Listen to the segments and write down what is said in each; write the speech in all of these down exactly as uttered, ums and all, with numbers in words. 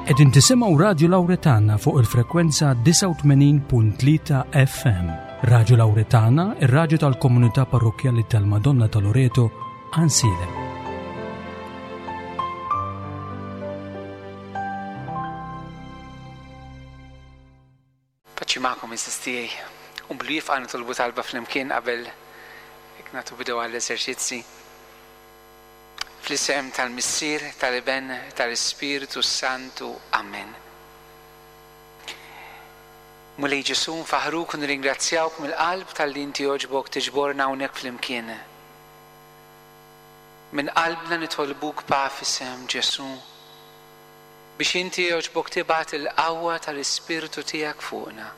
Qegħdin tisimgħu Radju Lawretana fuq il-frekwenza disgħa u tmenin punt tlieta F M. Radju Lawretana, ir-radju tal-komunità parrokkjali tal-Madonna ta' Loreto, Għajnsielem. Paċi magħkom, għeżież tiegħi. U blu jifqa' nitolbu talba flimkien qabel jekk nagħtu bidu għall-eżerċizzi. Fl-isem tal-Missier, tal-Iben, tal-Ispirtu Santu. Amen. Mulej Ġesu, nfaħruk u nirringrazzjawk mill-qalb talli inti għoġbok tiġborna hawnhekk flimkien. Minn qalbna nitolbuk pa f'isem Ġesu biex inti għoġbok tibgħat il-qawwa tal-Ispirtu tiegħek fuqna.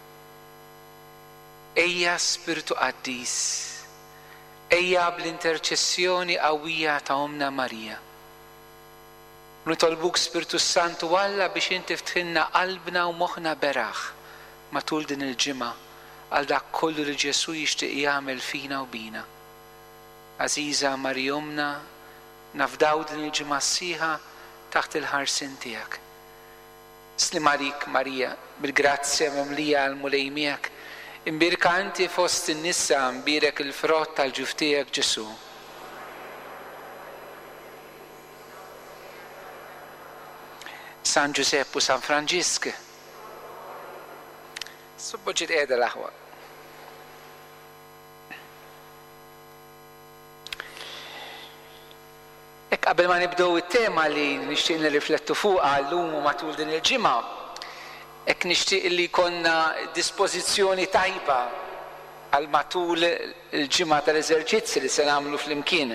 Ejja Spirtu Qaddis, ejja bl-interċessjoni qawwija ta' Ommna Marija. Nitolbuk Spirtu Santu Alla biex inti ftħilna qalbna u moħħna beraħ matul din il-ġimgħa għal dak kollu li Ġesu jixtieq jagħmel fina u bina. Għażiża Marija Ommna, nafdaw din il-ġimgħa sħiħa taħt il-ħarsien tiegħek. Slim għalik Marija, bil-grazzja mimlija għall-Mulej miegħek, imbierka inti fost in-nisa, imbierek il-frott tal-ġuf tiegħek Ġesu. San Ġusepp u San Franġisk. Subboġġi qiegħda l-aħwa. Hekk qabel ma nibdew it-tema li nixtieq nirriflettu fuqha llum u matul din il-ġimgħa, hekk nixtieq li jkollna dispożizzjoni tajba għal matul il-ġimgħa tal-eżerċizzi li se nagħmlu flimkien.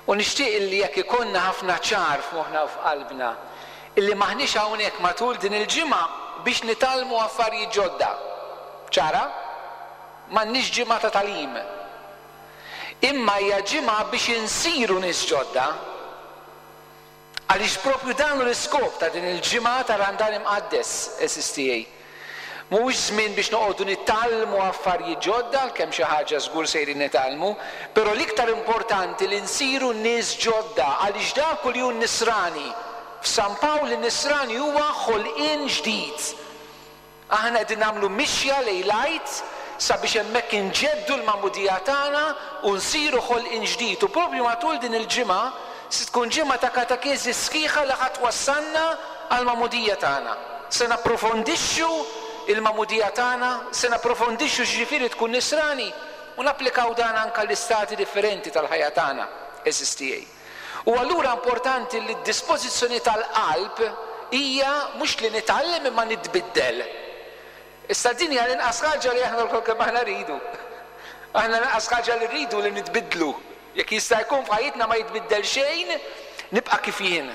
U nixtieq li jekk ikollna ħafna ċar f'moħħna u f'qalbna illi maħniex hawnhekk matul din il-ġimgħa biex nitgħallmu affarijiet ġodda. Ċara? M'għandniex ġimgħa ta' tagħlim. Imma hija ġimgħa biex insiru nies ġodda. Għaliex propju dan hu l-iskop ta' din il-ġimgħa ta' Randan Imqaddes, għeżież tiegħi. Mhuwiex żmien biex noqogħdu nitgħallmu affarijiet ġodda, għalkemm xi ħaġa żgur sejrin nitgħallmu, però l-iktar importanti li nsiru nies ġodda, għaliex dak li hu nisrani. F'San Pawl in-nisrani huwa ħolqien ġdid. Aħna qegħdin nagħmlu mixja lejn l-Għid sabiex hemmhekk inġeddu l-magħmudija tagħna u nsiru ħolqien ġdid. U propju matul din il-ġimgħa se tkun ġimgħa ta' katekeżi sħiħa li ħadd wassalna għall-magħmudija tagħna. Se napprofondixxu il-magħmudija tagħna, se napprofondixxu x'ġifieri tkun nisrani u napplikaw dan anke l-istati differenti tal-ħajja tagħna, għeżież tiegħi. U allura importanti li d-dispożizzjoni tal-qalb hija mhux li nitgħallem imma nitbiddel. Issa din hija l-inqas ħaġa li aħna lkoll kemm aħna rridu. Aħna l-inqas ħaġa li rridu li nitbiddlu. Jekk jista' jkun f'ħajjitna ma jitbiddel xejn, nibqa' kif jien.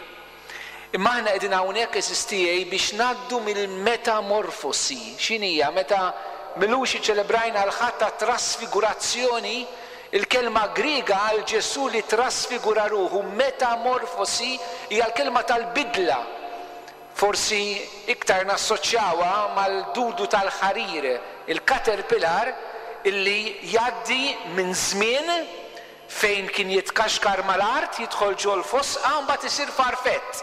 Imma aħna qegħdin hawnhekk, għeżież tiegħi, biex ngħaddu mill-metamorfosi. X'inhija? Meta milux iċċelebrajna l-Ħadd ta' trasfigurazzjoni, il-kelma Griega għal Ġesu li trasfigura ruħu, metamorfosi, hija l-kelma tal-bidla. Forsi iktar nassoċjawha mal-dudu tal-ħarir, il-caterpillar illi jgħaddi minn żmien fejn kien jitkaxkar mal-art, jidħol ġol fosqa u mbagħad isir farfett.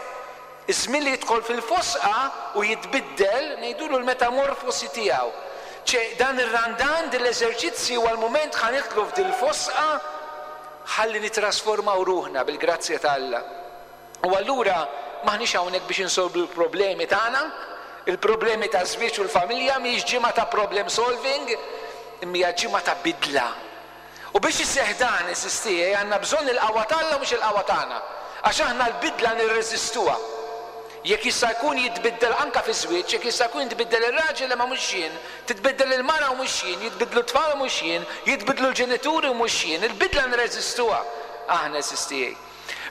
Iż-żmien li jidħol fil-fosqa u jitbiddel, ngħidulu l-metamorfosi tiegħu. Ċe dan ir-randan, din l-eżerċizzju huwa l-mument ħa nidħlu f'dil-fosqa ħalli nitrasformaw ruħna bil-grazzja ta' Alla. U allura maħniex hawnhekk biex insolvu l-problemi tagħna, il-problemi ta' żwieġ u l-familja mhijiex ġimgħa ta' problem solving, imma hija ġimgħa ta' bidla. U biex iseħħ dan, għeżież tiegħi, għandna bżonn il-qawwa ta' Alla mhux il-qawwa tagħna. Għax aħna l-bidla nirreżistuha. Jekk jista' jkun jitbiddel anka fi żwieġ, jekk jista' jkun jitbiddel ir-raġel imma mhux jien, titbiddel il-mara u mhux jien, jitbiddlu t-tfal u mhux jien, jitbiddlu l-ġenituri u mhux jien, il-bidla nirreżistuha aħna, għeżież tiegħi.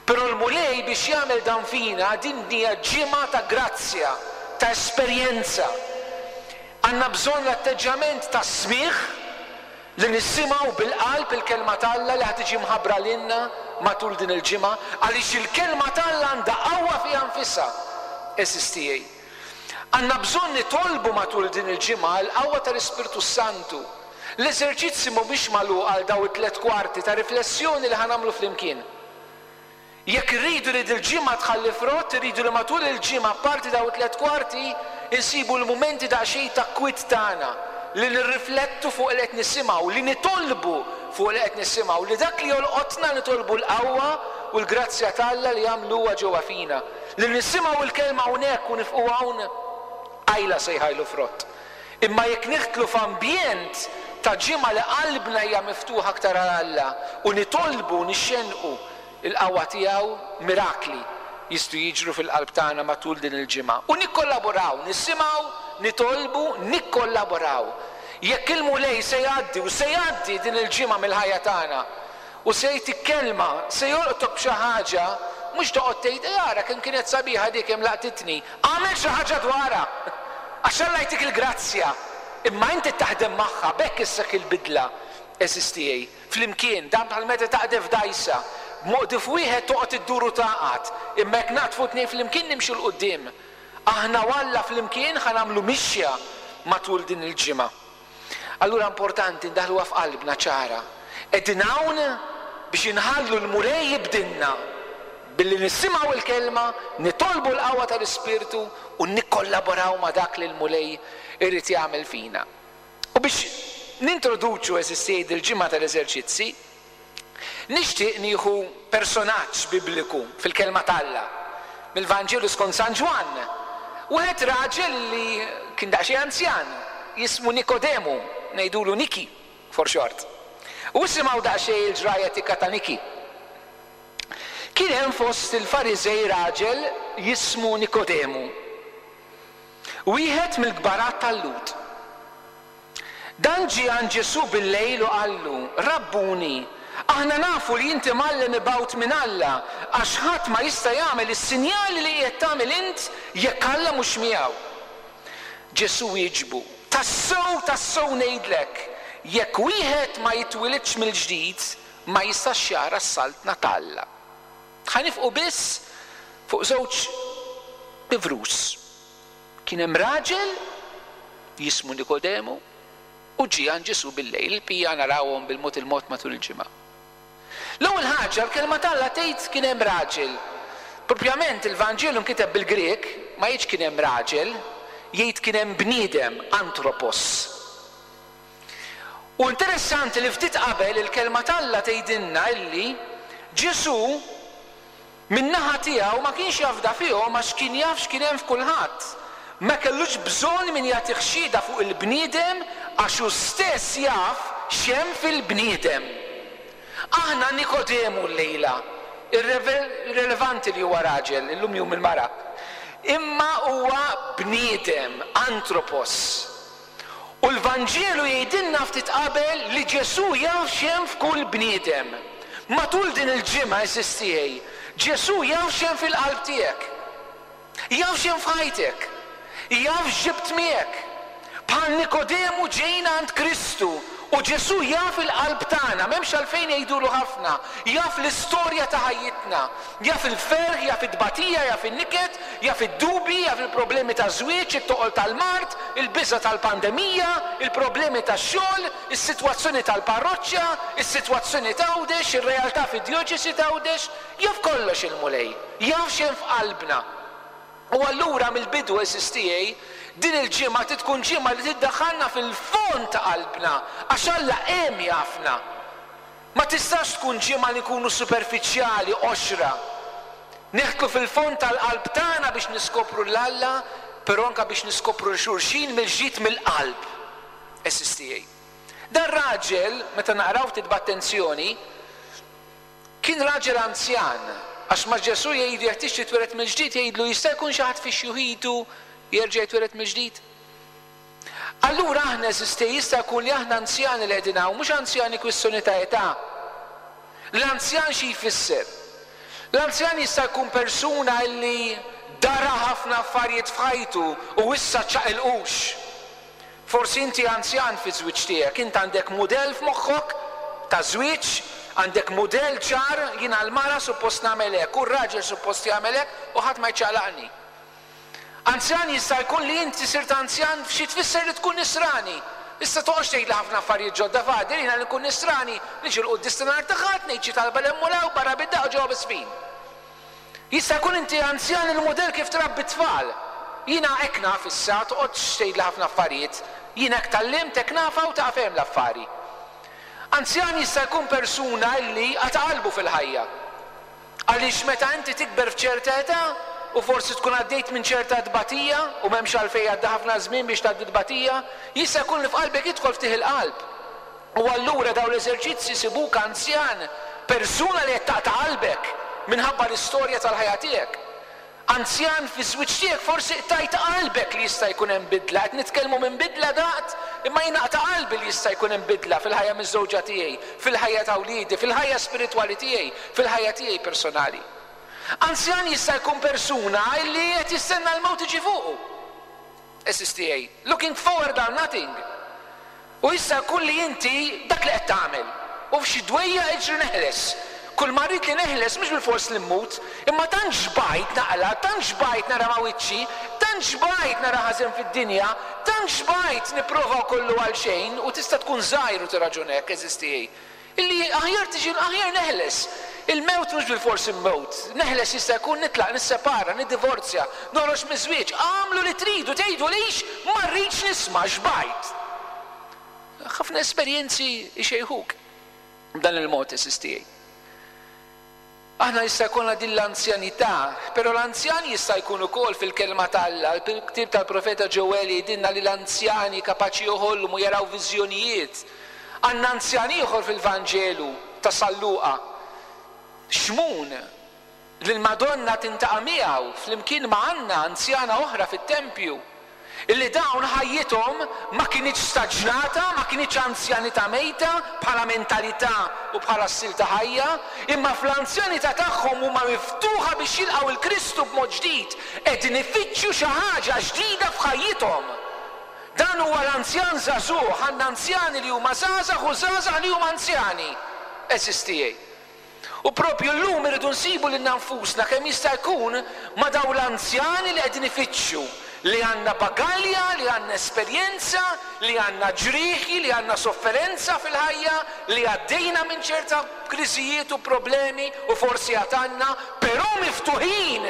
Però l-Mulej biex jagħmel dan fina, din hija ġimgħa ta' grazzja, ta' esperjenza. Għandna bżonn l-atteġġjament ta' smigħ li nisimgħu bil-qalb il-kelma ta' Alla li ħad tiġi mħabbra lilna matul din il-ġimgħa, għaliex il-kelma ta' Alla għandha qawwa fiha nfisha, għeżież tiegħi. Għandna bżonn nitolbu matul din il-ġimgħa l-qawwa tal-Ispirtu Santu. L-eżerċizzi mhumiex magħluq għal daw it-tliet kwarti ta' riflessjoni li ħanamlu flimkien. Jekk irridu li dil-ġimgħa tħalli frott, irridu li matul il-ġimgħa parti daw tliet kwarti insibu l-mumenti daqsxejn ta' kwit tagħna li nirriflettu fuq li qed nisimgħu, li nitolbu fuq li qed nisimgħu, li dak li jolqotna nitolbu l-qawwa u l-grazzja t'Alla li jagħmluha ġewwa fina. Li nisimgħu l-kelma hawnhekk u nifqu hawn qajla se jħajlu frott. Imma jekk nidħlu f'ambjent ta' ġimgħa li qalbna hija miftuħa aktar għal Alla u nitolbu nixxenqu il-qawwa tiegħu, mirakli jistgħu jiġru fil-qalb tagħna matul din il-ġimgħa. U nikkollaboraw, nisimgħu, nitolbu, nikkollaboraw. Jekk il-Mulej se jgħaddi u se jgħaddi din il-ġimgħa mill-ħajja tagħna u se jtik kelma, se jolqtok b'xi ħaġa, mhux toqgħod tgħid ara kemm kienet sabiħa dik kemm laqtitni. Agħmel xi ħaġa dwarha. Għax Alla jtik il-grazzja. Imma inti taħdem magħha b'hekk issek il-bidla għeżież tiegħi. Flimkien, dan bħal meta taqdef dgħajsa. B'moqdif wieħed toqgħod iddur u taqgħad, imma jekk naqdfu tnejn flimkien nimxu 'l quddiem. Aħna u Alla flimkien ħa nagħmlu mixja matul din il-ġimgħa. Allura importanti ndaħluha f'qalbna ċara. Qegħdin hawn biex inħallu l-Mulej jibdilna billi nisimgħu l-kelma, nitolbu l-qawwa tal-Ispirtu u nikkollaboraw ma' dak li l-Mulej irid jagħmel fina. U biex nintroduċu, għeżież tiegħi, dil-ġimgħa tal-eżerċizzi, nixtieq nieħu personaġġ bibliku fil-kelma t'Alla, mill-Vanġelu skont San Ġwann. Wieħed raġel li kien daqsxejn anzjan, jismu Nikodemu, ngħidulu Niki for short. U isimgħu daqsxejn il-ġrajja tikka ta' Niki. Kien hemm fost il-Fariżej raġel jismu Nikodemu, wieħed mill-kbarat tal-Lhud. Dan ġie għand Ġesù bil-lejl u qallu, Rabbuni, aħna nafu li inti mgħallem mibgħut minn Alla, għax ħadd ma jista' jagħmel is-sinjali li qiegħed tagħmel int jekk Alla mhux miegħu. Ġesù wieġbu, Tassew, tassew ngħidlek, jekk wieħed ma jitwilidx mill-ġdid, ma jistax jara s-saltna t'Alla. Ħa nifqu biss fuq żewġ bivrus. Kien hemm raġel jismu Nikodemu u ġie għand Ġesù bil-lejl, il-bqija narawhom bil-mod il-mod matul il-ġimgħa. L-ewwel ħaġa, l-kelma t'Alla tgħid kien hemm raġel. Propjament il-Vanġelu nkiteb bil-Grek, ma jgħidx kien hemm raġel, jgħid kien hemm bniedem, antropos. U interessanti li ftit qabel il-kelma t'Alla tgħidilna illi Ġesù min-naħa tiegħu ma kienx jafda fihom għax kien jaf x'kien hemm f'kulħadd. Ma kellux bżonn min jagħtih xhieda fuq il-bniedem għax hu stess jaf x'hemm fil-bniedem. Aħna Nikodemu llejla, irrelevanti li huwa raġel, illum jum il-mara, imma huwa bniedem, antropos. U l-Vanġelu jgħidilna ftit qabel li Ġesù jaf x'hemm f'kull bniedem. Matul din il-ġimgħa, għeżież tiegħi, Ġesù jaf x'hemm fil-qalb tiegħek. Jaf x'hemm f'ħajtek. Jaf x'ġibt miegħek. Bħal Nikodemu ġejna għand Kristu u Ġesù jaf il-qalb tagħna, m'hemmx għalfejn jgħidulu ħafna, jaf l-istorja ta' ħajjitna, jaf il-ferħ, jaf it-tbatija, jaf in-niket, jaf id-dubi, jaf il-problemi ta' żwieġ, it-toqol tal-mard, il-biża' tal-pandemija, il-problemi tax-xogħol, is-sitwazzjoni tal-parroċċa, is-sitwazzjoni t'Għawdex, ir-realtà fid-djoċesi t'Għawdex, jaf kollox il-Mulej, jaf x'hemm f'qalbna. U allura mill-bidu, għeżież tiegħi, din il-ġimgħa trid tkun ġimgħa li tiddaħħalna fil-fond ta' qalbna, għax Alla hemm jafna. Ma tistax tkun ġimgħa li nkunu superfiċjali, qoxra. Neħtlu fil-fond tal-qalb tagħna biex niskopru 'l Alla, però anke biex niskopru 'l xulxin mill-ġdid mill-qalb. Għeżież tiegħi. Dan raġel, meta naqraw ftit b'attenzjoni, kien raġel anzjan, għax ma Ġesù jgħidu jekk tixtieq titwieled mill-ġdid, jgħidlu jista' jkun xi ħadd fi xjuħitu jerġa' jitwieled mill-ġdid. Allura aħna għeżież tiegħi jista' jkun li aħna anzjani li qegħdin hawn, mhux anzjani kwistjoni ta' età. L-anzjan xi jfisser? L-anzjan jista' jkun persuna li dara ħafna affarijiet f'ħajtu u issa ċaqilqux. Forsi inti anzjan fi żwieġ tiegħek, int għandek mudell f'moħħok ta' żwieġ, għandek mudell ċar, jiena l-mara suppost nagħmel hekk u r-raġel suppost jagħmel hekk u ħadd ma jċaqlaqni. Anzjan jista' jkun li inti sirt anzjan f'xi tfisser li tkun nisrani. Issa toqgħodx tgħidli ħafna affarijiet ġodda fadil, jiena li nkun nisrani, niġi l-quddies ta' nhar ta' Ħadd, ngħid xi talba 'l hemm u 'l hawn, barra bid-daqq u ġewwa bis-sfin. Jista' jkun inti anzjan il-mudell kif trabbi tfal. Jiena hekk naf issa, toqgħodx tgħidli ħafna affarijiet. Jiena hekk tgħallimt, hekk nafha u taqaf hemm l-affari. Anzjan jista' jkun persuna li qata' qalbu fil-ħajja. Għaliex meta inti tikber f'ċerta età u forsi tkun għaddejt minn ċerta tbatija u m'hemmx għalfejn għadda ħafna żmien biex tgħaddi tbatija, jista' jkun li f'qalbek jidħol ftit il-qalb. U allura dawn l-eżerċizzi sibuk anzjan, persuna li qed taqta' qalbek minħabba l-istorja tal-ħajja tiegħek. Anzjan fi żwieġ tiegħek forsi qtajt qalbek li jista' jkun hemm bidla, qed nitkellmu minn bidla daqt, imma jien naqta' qalbi li jista' jkun hemm bidla fil-ħajja miż-żewġa tiegħi, fil-ħajja ta' wliedi, fil-ħajja spiritwali tiegħi, fil-ħajja tiegħi personali. Anzjan jista' jkun persuna li qed jistenna l-mewt tiġi fuqu. Għeżież tiegħi, looking forward on nothing. U jista' jkun li inti dak li qed tagħmel. U f'xi dwejja iġri neħles. Kull ma rrid li neħles mhux bil-fors li mmut, imma tant xbajt naqla, tant xbajt nara ma' wiċċi, tant xbajt nara ħażin fid-dinja, tant xbajt nipprova kollu għal xejn, u tista' tkun żgħir u tiraġun hekk, għeżież tiegħi. Illi aħjar tiġi aħjar neħles. Il-mewt mhux bil-fors immewt. Neħles jista' jkun nitlaq, nissepara, niddivorzja, noħroġ miż-żwieġ, għamlu li tridu, tgħidu lix ma rridx nisma' xbajt. Ħafna esperjenzi ixejħuk b'dan il-mod, għeżież tiegħi. Aħna jista' jkollna din l-anzjanità, però l-anzjan jista' jkun ukoll fil-kelma t'Alla. Il-ktieb tal-profeta Ġoeli jgħidilna li l-anzjani kapaċi joħolmu u jaraw viżjonijiet. Għandna anzjan ieħor fil-Vanġelu ta' San Luqa, Xmun, li l-Madonna tintaqa' miegħu flimkien ma' Anna, anzjana oħra fit-tempju, illi dawn ħajjithom ma kinitx staġnata, ma kinitx anzjanità mejta bħala mentalità u bħala stil ta' ħajja, imma fl-anzjanità tagħhom huma miftuħa biex jilqgħu il-Kristu b'mod ġdid, qegħdin ifittxu xi ħaġa ġdida f'ħajjithom. Dan huwa l-anzjan żagħżugħ, għandna anzjani li huma żgħażagħ u żgħażagħ li huma anzjani. Għeżież tiegħi. U propju llum irridu nsibu lilna nfusna kemm jista' jkun ma' dawn l-anzjani li qegħdin ifittxu, li għandna bagalja, li għandna esperjenza, li għandna ġrieħi, li għandna sofferenza fil-ħajja, li għaddejna minn ċerta kriżijiet u problemi u forsi għatanna, però miftuħin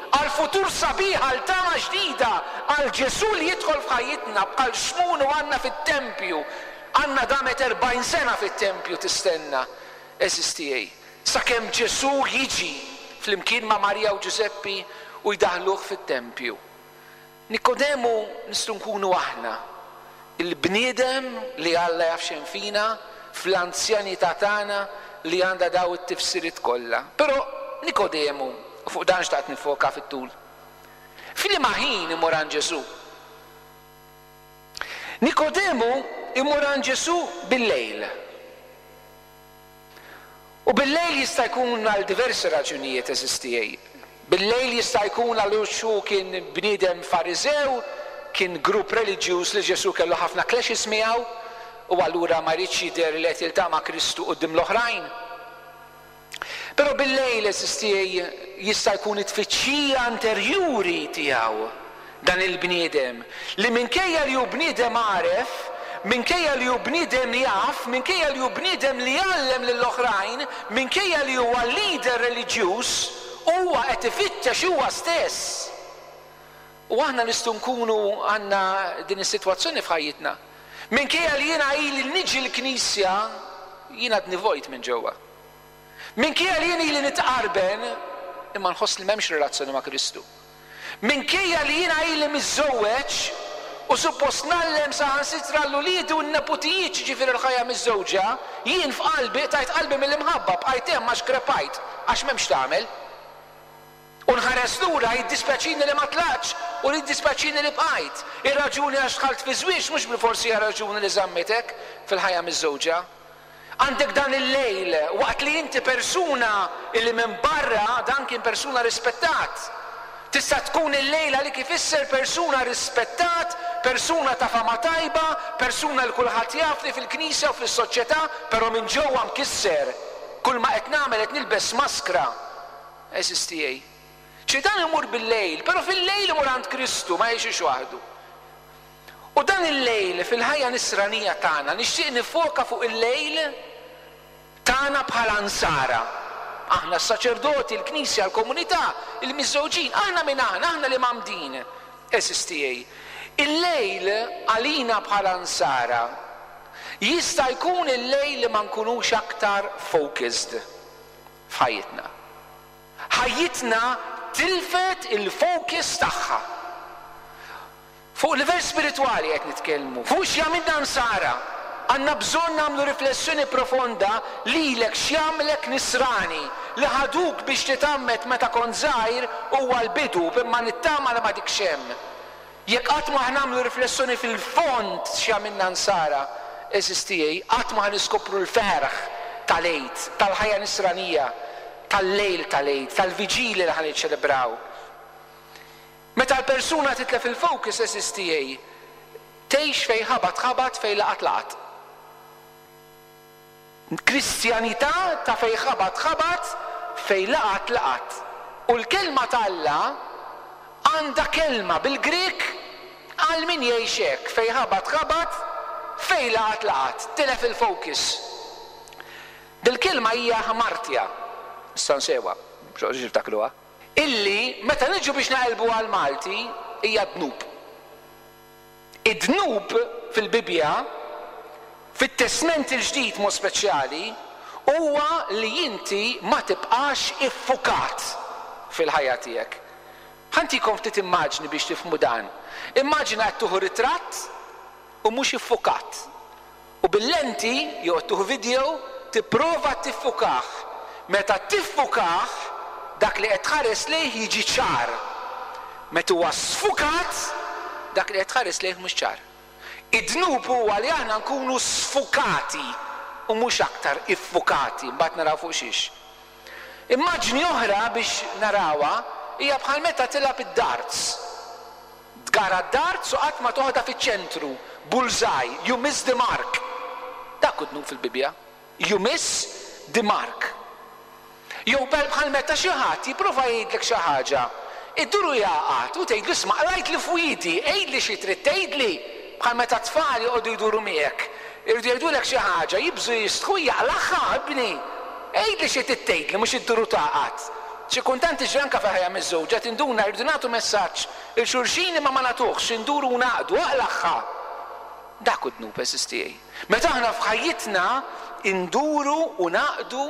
għal futur sabiħ, għal tama ġdida, għal Ġesù li jidħol f'ħajjitna bħal Xmun u Anna fit-tempju. Anna damet erbgħin sena fit-tempju tistenna, għeżież tiegħi, sakemm Ġesù jiġi flimkien ma' Marija u Ġużeppi u jdaħluh fit-tempju. Nikodemu nistgħu nkunu aħna, il-bniedem li Alla jaf x'hemm fina, fl-anzjanità tagħna li għandha daw it-tifsiriet kollha. Però Nikodemu, u fuq dan xtaqt nifoka fit-tul, f'liema ħin imur għand Ġesù? Nikodemu imur għand Ġesù bil-lejl. U bil-lejl jista' jkun għal diversi raġunijiet, għeżież tiegħi. Bil-lejl jista' jkun għal xu kien bniedem Fariżew, kien grupp reliġjuż li Ġesù kellu ħafna clashes miegħu, u allura ma jridx jidher li qed jiltaqa' ma' Kristu quddiem l-oħrajn. Però bil-lejl, għeżież tiegħi, jista' jkun it-tfittxija interjuri tiegħu dan il-bniedem li minkejja li hu bniedem għaref, minkejja li hu bniedem jaf, minkejja li hu bniedem li jgħallem lill-oħrajn, minkejja li huwa leader reliġjuż, huwa qed ifittex huwa stess. U aħna nistgħu nkunu għandna din is-sitwazzjoni f'ħajjitna. Minkejja li jiena ili niġi l-knisja, jiena għadni vojt minn ġewwa. Minkejja li jien ili nitqarben, imma nħoss li m'hemmx relazzjoni ma' Kristu. Minkejja li jiena ili miżżewweġ u suppost ngħallem saħansitra l-uliedi u n-neputijiet ġifieri l-ħajja miżżewġa, jien f'qalbi tajt qalbi mill-imħabba, bqajt hemm għax krepajt, għax m'hemmx tagħmel. U nħares lura jiddispjaċini li ma tlaqtx u jiddispjaċini li bqajt. Ir-raġuni għax dħalt fi żwieġ mhux bil-forsi hija raġuni li żammitek fil-ħajja miżżewġa. Għandek dan il-lejl waqt li inti persuna illi minn barra dan kien persuna rispettat. Tista' tkun il-lejla li kif ifisser persuna rispettat, persuna ta' fama tajba, persuna li kulħadd jaf li fil-knisja u fis-soċjetà, però minn ġewwa mkisser. Kull ma qed nagħmel qed nilbes maskra. Għeżież tiegħi. Ċi dan imur bil-lejl, però fil-lejl imur għand Kristu, ma jgħixux waħdu. U dan il-lejl fil-ħajja nisranija tagħna nixtieq nifoka fuq il-lejl tagħna bħala nsara. Aħna s-saċerdoti, l-knisja, l-komunità, il-miżżewġin, aħna min aħna, aħna li mgħammdin. Għeżież tiegħi, il-lejl għalina bħala nsara jista' jkun il-lejl li ma nkunux aktar focused f'ħajjitna. Ħajjitna tilfet il-focus tagħha. Fuq livell spiritwali qed nitkellmu, fuq x'jagħmilna nsara. Għandna bżonn nagħmlu riflessjoni profonda lilek x'jagħmlek nisrani. Li ħaduk biex titgħammed meta kont żgħir huwa l-bidu, imma nittama li ma dikx hemm. Jekk qatt ma nagħmlu riflessjoni fil-fond x'jagħmilna nsara, għeżież tiegħi, qatt ma niskopru l-ferħ tal-Għid, tal-ħajja nisranija, tal-lejl tal-Għid, tal-viġili li ħa niċċelebraw. Meta l-persuna titlef il-focus, għeżież tiegħi, tgħix fejn ħabat ħabat, fejn laqat laqat. Kristjanità ta' fejn ħabat ħabat, fejn laqat laqat. U l-kelma t'Alla għandha kelma bil-Grek għal min jgħix hekk, fejn ħabat ħabat, fejn laqat laqat, tilef il-focus. Dil-kelma hija ħamartja, nista' nsewa, biex tiftakruha, illi meta niġu biex naqilbu għal Malti hija dnub. Id-dnub fil-Bibbja, fit-Testment il-Ġdid mod speċjali, huwa li inti ma tibqax iffukat fil-ħajja tiegħek. Ħa ntikom ftit immaġni biex tifhmu dan. Immaġina qed tieħu ritratt u mhux iffukat. U bil-lenti jew qed tieħu video tipprova tiffukah. Meta tiffukah, dak li qed tħares lejh jiġi ċar. Meta huwa sfukat, dak li qed tħares lejh mhux ċar. Id-dnub huwa li aħna nkunu sfukati u mhux aktar iffukati, mbagħad naraw fuq xiex. Immaġni oħra biex narawha hija bħal meta tilgħab id-darts. Tgara d-darts u qatt ma toħodha fiċ-ċentru, bullseye, you miss the mark. Dak hu dnub fil-Bibbja. You miss the mark. Jew bħal meta xi ħadd jipprova jgħidlek xi ħaġa, idduru jaqgħad u tgħidlu isma' qrajt li fwidi, għidli xi trid tgħidli, bħal meta tfal joqogħdu jduru miegħek. Irridu jgħidulek xi ħaġa, jibżu jistħu jaqlaħħa ibni. Għidli xi trid tgħidli, mhux idduru taqgħad. Xi kuntant tiġri anke fil-ħajja miż-żewġa tinduna jridu nagħtu messaġġ il xulxin imma ma nagħtuhx, induru u naqdu, aqlaħħa. Dak hu dnub, għeżież tiegħi. Meta aħna f'ħajjitna induru u naqdu,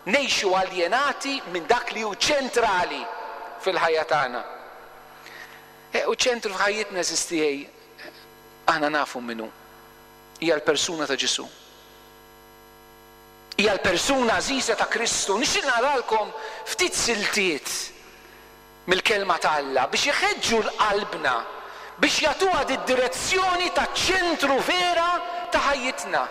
ngħixu aljenati minn dak li hu ċentrali fil-ħajja tagħna. E, u ċentru f'ħajjitna, għeżież tiegħi, aħna nafu minnu. Hija l-persuna ta' Ġesù. Hija l-persuna għażiża ta' Kristu. Nixtieq naqralkom ftit siltiet mill-kelma ta' Alla biex iħeġġu l-qalbna, biex jagħtuha d-direzzjoni ta' ċentru vera ta' ħajjitna.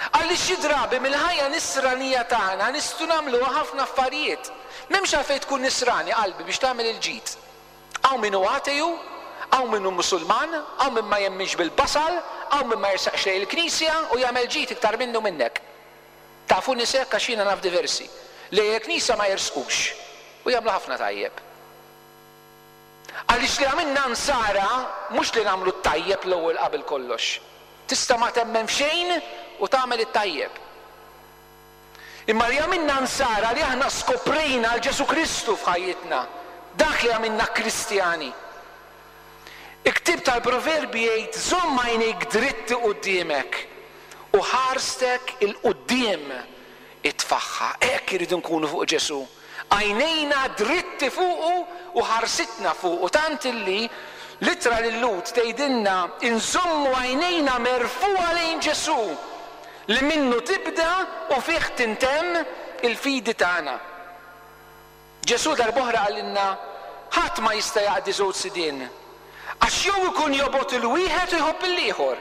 Għaliex xi drabi mill-ħajja nisranija tagħna nistgħu nagħmluha ħafna affarijiet. M'hemmx għalfejn tkun nisrani qalbi biex tagħmel il-ġid. Hawn min hu ateju, hawn min hu Musulman, hawn min ma jemminx bil-basal, hawn min ma jersaqx lejn il-knisja u jagħmel ġid iktar minnu minnek. Tafu nies hekk għax jiena naf diversi. Lejn il-knisja ma jersqux u jagħmlu ħafna tajjeb. Għaliex li għamilna nsara mhux li nagħmlu t-tajjeb l-ewwel qabel kollox. Tista' ma temmen f'xejn u tagħmel it-tajjeb. Imma li għamilna nsara li aħna skoprejna għal Ġesù Kristu f'ħajjitna, dak li għamilna Kristjani. Il-ktieb tal-Proverbi jgħid żomm għajnejk dritti quddiemek u ħarstek il-quddiem itfaħħa. Hekk iridu nkunu fuq Ġesù. Għajnejna dritti fuqu u ħarsitna fuqu, tant illi l-ittra lil-Lhud tgħidilna inżommu għajnejna merfugħa lejn Ġesù li minnu tibda u fih tintemm il-fidi tagħna. Ġesù darb'oħra qalilna ħadd ma jista' jaqdi żewġ sidien, għax jew ikun jobgħod il-wieħed u jħobb il-ieħor,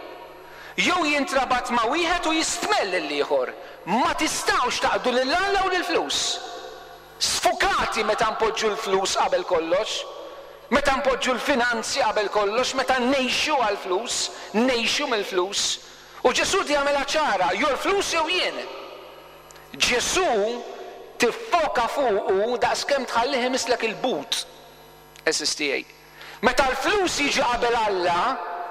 jew jintrabat ma' wieħed u jistmell lill-ieħor. Ma tistgħux taqdu lil Alla u lill-flus. Sfukati meta npoġġu l-flus qabel kollox, meta npoġġu l-finanzi qabel kollox, meta ngħixu għall-flus, ngħixu mill-flus. U Ġesù jagħmilha ċara, jew l-flus jew jien. Ġesù tiffoka fuqu daqskemm tħallih imislek il-but. Għeżież tiegħi. Meta l-flus jiġi qabel Alla,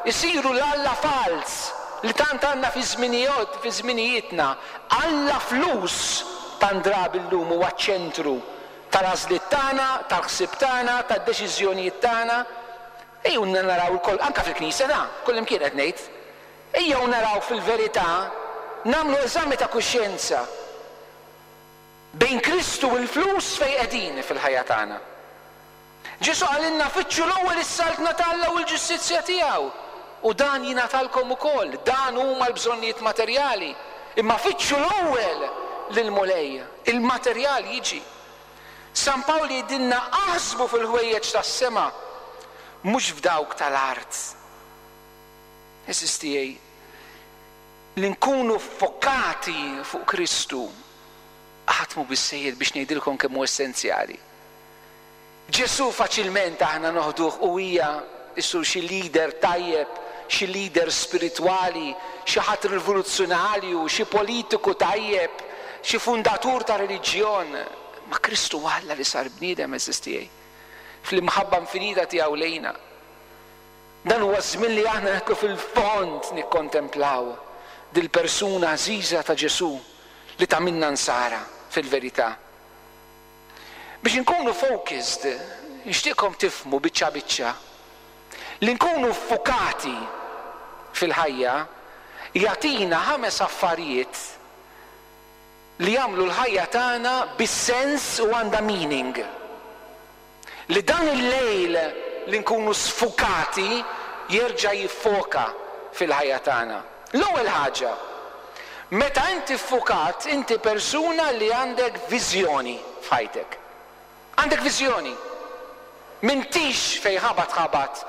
isiru l-Alla fals li tant għandna fi żminijiet, fi żminijietna. Alla flus Tant drabi llum huwa ċ-ċentru tal-għażliet tagħna, tal-ħsieb tagħna, tad-deċiżjonijiet tagħna. Ejjew naraw ukoll, anke fil-Knisja ta' kullimkien qed ngħid. Ejjew naraw fil-verità, nagħmlu eżami ta' kuxjenza bejn Kristu u l-flus fejn qegħdin fil-ħajja tagħna. Ġesù qalilna fittxu l-ewwel is-saltna ta' Alla u l-ġustizzja tiegħu, u dan jingħatalkom ukoll. Dan huma l-bżonnijiet materjali. Imma fittxu l-ewwel lill-Mulej, il-materjal jiġi. San Pawl jgħidilna aħsbu fil-ħwejjeġ tas-sema, mhux f'dawk tal-art. Għeżież tiegħi, li nkunu fokati fuq Kristu qatt mhu biżżejjed biex ngħidilkom kemm hu essenzjali. Ġesù faċilment aħna noħduh u hija issu xi leader tajjeb, xi leader spiritwali, xi ħadd rivoluzzjonarju, xi politiku tajjeb, xi fundatur ta' reliġjon. Ma Kristu Alla li sar bniedem, għeżież tiegħi, fl-imħabba infinita tiegħu lejna. Dan huwa żmien li aħna neħku fil-fond nikkontemplaw dil-persuna għażiża ta' Ġesù li tagħmilna nsara fil-verità. Biex inkunu focused, nixtieqkom tifhmu biċċa biċċa li nkunu fukati fil-ħajja jagħtina ħames affarijiet li jagħmlu l-ħajja tagħna bis-sens u għandha meaning. Li dan il-lejl li nkunu sfukati jerġa' jiffoka fil-ħajja tagħna. L-ewwel ħaġa, meta inti ffukat, inti persuna li għandek viżjoni f'ħajtek. Għandek viżjoni. M'intix fej ħabat ħabat,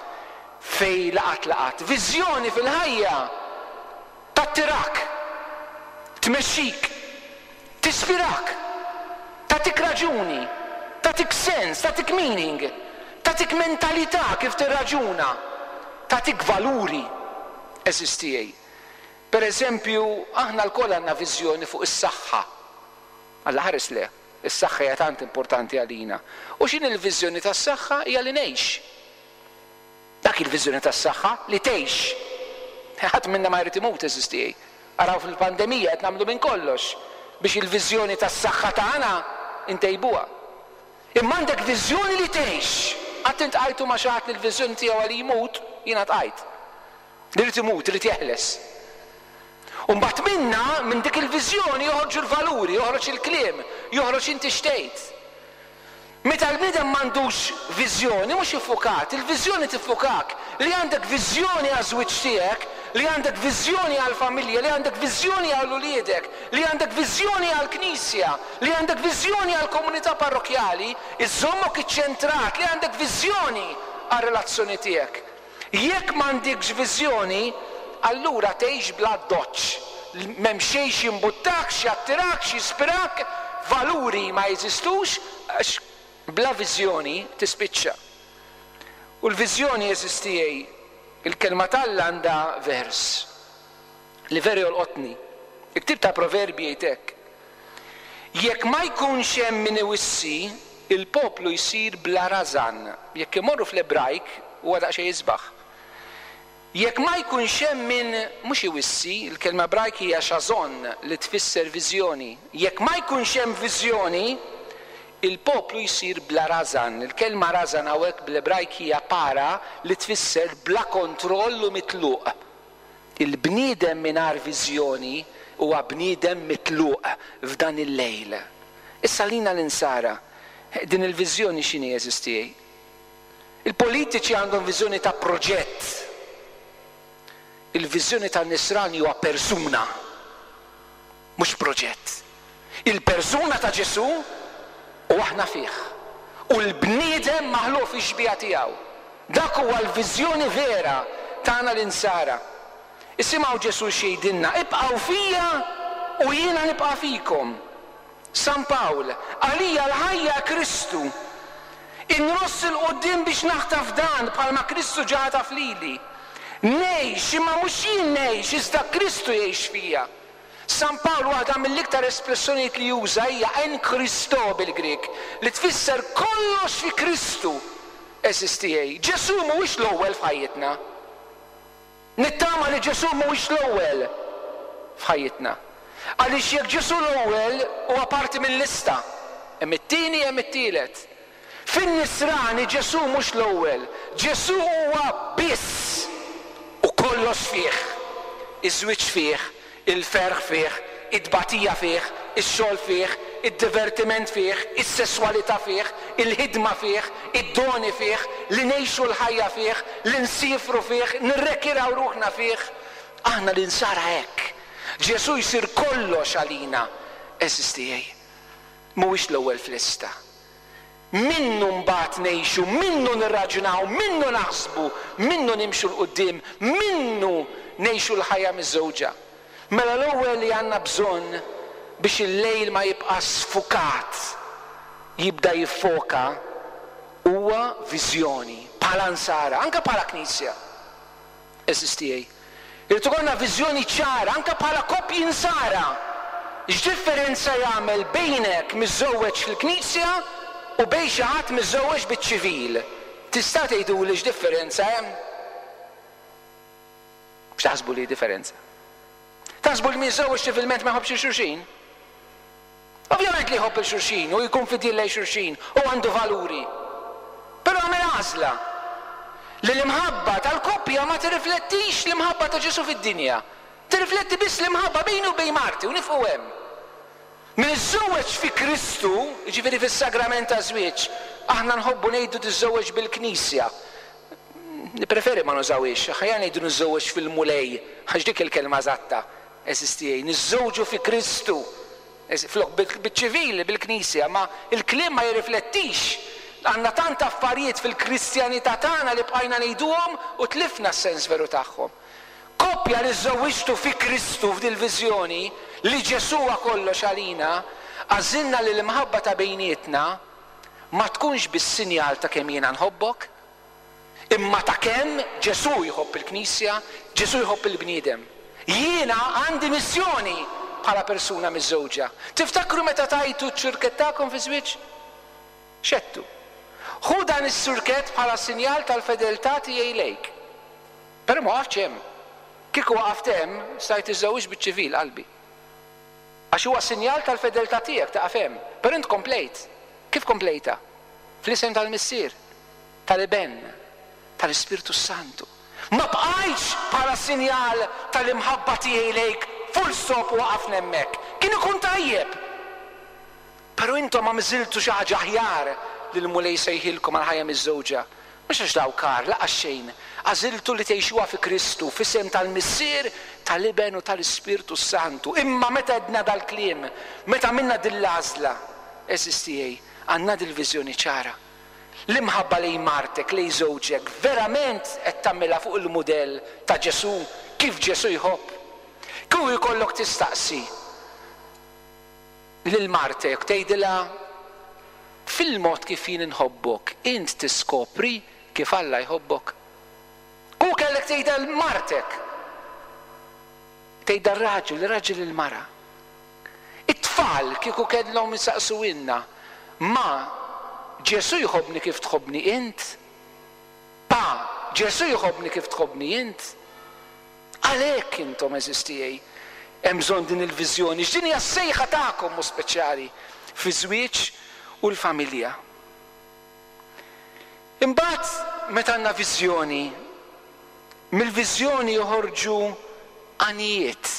fej laqat laqat. Viżjoni fil-ħajja tattirak, tmexxik, tispirak, tagħtik raġuni, tagħtik sens, tagħtik meaning, tagħtik mentalità kif tirraġuna, tagħtik valuri. Għeżież tiegħi. Per eżempju, aħna lkoll għandna viżjoni fuq is-saħħa. Alla ħares le, is-saħħa hija tant importanti għalina. U x'inhi l-viżjoni tas-saħħa? Hija li ngħix. Dak il-viżjoni tas-saħħa, li tgħix. Ħadd minna ma jrid imut, għeżież tiegħi. Araw fil-pandemija qed nagħmlu minn kollox biex il-viżjoni tas-saħħa tagħna ntejbuha. Imma għandek viżjoni li tgħix. Qatt intqajtu ma' xi ħadd li l-viżjoni tiegħu għal jmut, jiena tqajt. Li jrid imut, irid jeħles. U mbagħad minna, minn dik il-viżjoni joħorġu l-valuri, joħroġ il-kliem, joħroġ inti x'tgħid. Meta l-bniedem m'għandux viżjoni, mhux iffukat, il-viżjoni tiffukak, li għandek viżjoni għaż-żwieġ tiegħek, li għandek viżjoni għall-familja, li għandek viżjoni għal uliedek, li għandek viżjoni għall-knisja, li għandek viżjoni għall-komunità parrokjali, iżommok iċċentrat, li għandek viżjoni għar-relazzjoni tiegħek. Jekk m'għandekx viżjoni, allura tgħix bla doċċ. M'hemm xejn jimbuttak, jattirak, jispirak, valuri ma jeżistux, għax bla viżjoni tispiċċa. U l-viżjoni, għeżież tiegħi, il-kelma t'Alla għandha vers li veru jolqotni. Il-ktieb ta' Proverbi jgħid hekk: Jekk ma jkunx hemm min iwissi, il-poplu jsir bla rażan. Jekk imorru fl-Ebrajk huwa daqsxejn isbaħ. Jekk ma jkunx hemm min mhux iwissi, il-kelma Ebrajk hija xazon li tfisser viżjoni. Jekk ma jkunx hemm viżjoni, il-poplu jsir bla rażan. Il-kelma rażan hawnhekk bl-Ebrajk hija para li tfisser bla kontroll u mitluq. Il-bniedem mingħajr viżjoni huwa bniedem mitluq f'dan il-lejl. Issa lina l-insara, din il-viżjoni x'inhi, għeżież tiegħi? Il-politiċi għandhom viżjoni ta' proġett. Il-viżjoni tan-nisrani huwa persuna, mhux proġett. Il-persuna ta' Ġesù u aħna fih. U l-bniedem maħluq fix-xbieha tiegħu. Dak huwa l-viżjoni vera tagħna l-insara. Isimgħu Ġesù x'jgħidilna, ibqgħu fija u jiena nibqa' fikom. San Pawl, għalija l-ħajja Kristu. Inross il-qudiem biex naħtaf dan bħalma Kristu ġa ħataf lili. Ngħix, imma mhux jien ngħix, iżda Kristu jgħix fija. San Pawl waħda mill-iktar espressjonijiet li juża hija en Christo bil-Grik, li tfisser kollox fi Kristu. Għeżież tiegħi, Ġesù mhuwiex l-ewwel f'ħajjitna. Nittama li Ġesù mhuwiex l-ewwel f'ħajjitna. Għaliex jekk Ġesù l-ewwel huwa parti mill-lista, hemm it-tieni, hemm it-tielet. Fin-nisrani Ġesù mhux l-ewwel, Ġesù huwa biss u kollox fih. Iż-żwieġ fih, il-ferħ fih, it-tbatija fih, ix-xogħol fih, id-divertiment fih, is-sesswalità fih, il-ħidma fih, id-doni fih, li ngħixu l-ħajja fih, li nsifru fih, nirrekiraw ruħna fih. Aħna l-insara hekk. Ġesù jsir kollox għalina, għeżież tiegħi. Mhuwiex l-ewwel f'lista. Minnu mbagħad ngħixu, minnu nirraġunaw, minnu naħsbu, minnu nimxu 'l quddiem, minnu ngħixu l-ħajja miżżewġa. Mela l-ewwel li għandna bżonn biex il-lejl ma jibqa' sfukat, jibda jiffoka, huwa viżjoni bħala nsara, anke bħala knisja. Għeżież tiegħi. Irid ikollna viżjoni ċara anke bħala koppji nsara. X'differenza jagħmel bejnek miżżewweġ fil-knisja u bejn xi ħadd miżżewweġ biċ-ċivil? Tista' tgħiduli x'differenza hemm? X'taħsbu li differenza? Taħsbu li min jiżżewweġ ċivilment ma jħobbx xulxin? Ovvjament li jħobb il-xulxin u jkun fidil lejn xulxin u għandu valuri. Però għamel għażla li l-imħabba tal-koppja ma tirriflettix l-imħabba ta' Ġesù fid-dinja. Tirrifletti biss l-imħabba bejni u bejn marti u nifqu hemm. Min iżżewweġ fi Kristu, jiġifieri fis-sagrament ta' żwieġ, aħna nħobbu ngħidu tiżżewweġ bil-Knisja. Nippreferi ma nużawhiex, aħjar ngħidu niżżewweġ fil-Mulej, għax dik il-kelma eżatta. Għeżież tiegħi, niżżewġu fi Kristu. Flok bil-ċivili, bil-Knisja, ma il-kliem ma jirriflettix. Għandna tant affarijiet fil-Kristjanità tagħna li bqajna ngħiduhom u tlifna s-sens veru tagħhom. Koppja li żżewwiġtu fi Kristu f'dil-viżjoni li Ġesù huwa kollox għalina, għażilna li l-imħabba ta' bejnietna ma tkunx biss sinjal ta' kemm jiena nħobbok, imma ta' kemm Ġesù jħobb il-Knisja, Ġesù jħobb il-bniedem. Jiena għandi missjoni bħala persuna miżżewġa. Tiftakru meta tajtu ċ-ċurkett tagħkom fi żwieġ? X'għedtu? Ħu dan is-surkett bħala sinjal tal-fedeltà tiegħi lejk. Però ma waqaftx hemm. Kieku waqaft hemm, stajt iżżewwiġ biċ-ċivil qalbi. Għax huwa sinjal tal-fedeltà tiegħek taqaf hemm. Però int komplejt. Kif komplejta? Fl-isem tal-Missier, tal-Iben, tal-Ispirtu Santu. Ma bqajtx bħala sinjal tal-imħabba tiegħi lejk, full stop u waqafna hemmhekk. Kien ikun tajjeb. Però intom għamżiltu xi ħaġa aħjar li l-Mulej sejħilkom għal ħajja miżżewġa. Mhux għax daw kar, laqas xejn. Għażiltu li tgħixuha fi Kristu, f'isem tal-Missier, tal-Iben u tal-Ispirtu Santu. Imma meta għedna dal-kliem, meta għamilna din l-għażla, għeżież tiegħi, għandna dil-viżjoni ċara. L-imħabba lejn martek, lejn żewġek, verament qed tagħmilha fuq il-mudell ta' Ġesù, kif Ġesù jħobb. Kieku jkollok tistaqsi lil martek, tgħidilha fil-mod kif jien inħobbok, int tiskopri kif Alla jħobbok. Ku kellek tgħidha l martek, tgħidha r-raġel, ir-raġel il-mara. It-tfal kieku kellhom jistaqsuhielna, ma Ġesù jħobbni kif tħobbni int? Pa, Ġesù jħobbni kif tħobbni int? Għalhekk intom għeżież tiegħi, hemm bżonn din il-viżjoni, x'din hija s-sejħa tagħkom mu speċjali fi żwieġ u l-familja. Imbagħad meta għandna viżjoni, mill-viżjoni joħorġu għanijiet,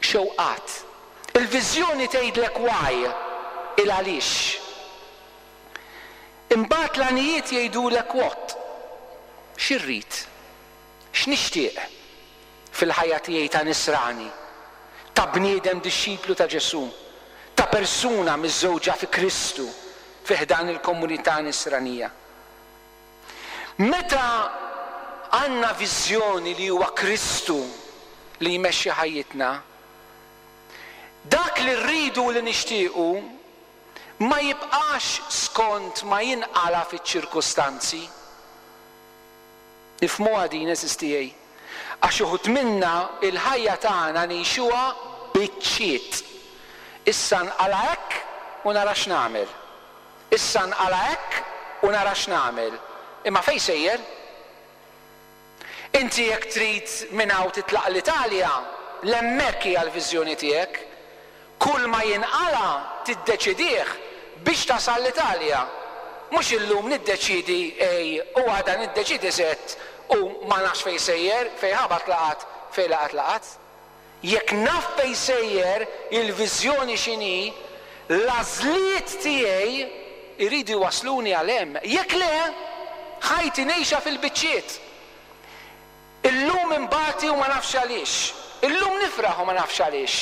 xewqat. Il-viżjoni tgħidlek why, il-għaliex. Imbagħad l-għanijiet jgħidulek what, x'irrid, x'nixtieq fil-ħajja tiegħi ta' nisrani, ta' bniedem dixxiplu ta' Ġesù, ta' persuna miżżewġa fi Kristu fi ħdan il-komunità nisranija. Meta għandna viżjoni li huwa Kristu li jmexxi ħajjitna, dak li rridu u li nixtiequ ma jibqax skont ma jinqala fiċ-ċirkustanzi. Nifhmuha din, għeżież tiegħi. Għax uħud minna il-ħajja tagħna ngħixuha biċċiet. Issa nqala hekk u nara x'nagħmel. Issa nqala hekk u nara x'nagħmel. Imma fejn sejjer? Inti jekk trid minn hawn titlaq l-Italja, l-hemmhekk hija l-viżjoni tiegħek. Kull ma jinqala tiddeċidih biex tasal l-Italja. Mhux illum niddeċidi A u għada niddeċidi Z u ma nafx fejn sejjer, fejn ħabat laqat, fejn laqat laqat. Jekk naf fejn sejjer, il-viżjoni x'inhi, l-għażliet tiegħi jridu jwasluni għal hemm. Jekk le, ħajti ngħixha fil-biċċiet. Illum imbati u ma nafx għaliex. Illum nifraħ u ma nafx għaliex.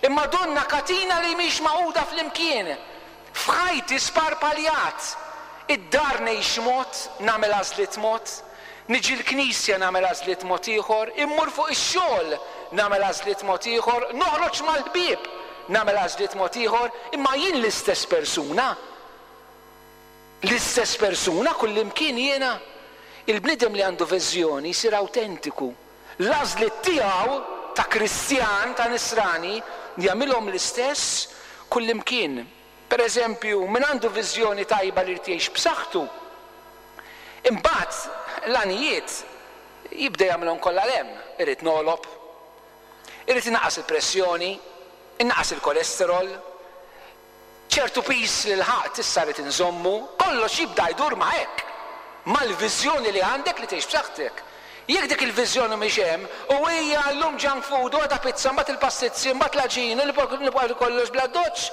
Imma donna katina li mhix magħquda flimkien. F'ħajti sparpaljat. Id-dar ngħix mod, nagħmel għażliet mod, niġi l-knisja nagħmel għażliet mod ieħor, immur fuq ix-xogħol nagħmel għażliet mod ieħor, noħroġ mal-ħbieb nagħmel għażliet mod ieħor, imma jien l-istess persuna. L-istess persuna kullimkien jiena. Il-bniedem li għandu viżjoni jsir awtentiku. L-għażliet tiegħu ta' Kristjan, ta' Nisrani, jagħmilhom l-istess kullimkien. Per eżempju, min għandu viżjoni tajba li jrid jgħix b'saħħtu, imbagħad l-għanijiet jibda jagħmilhom kollha 'l hemm. Irid nogħlob, irid inaqqas il-pressjoni, innaqqas il-kolesterol, ċertu piż li lħaqt issa rrid inżommu, kollox jibda jdur ma' hekk, mal-viżjoni li għandek li tgħix b'saħħtek. Jekk dik il-viżjoni mhix hemm, u hija llum junk food, u għada pizza, mbagħad il-pastizzi, mbagħad l-għaġin, u nibqa' kollox bla doċċ.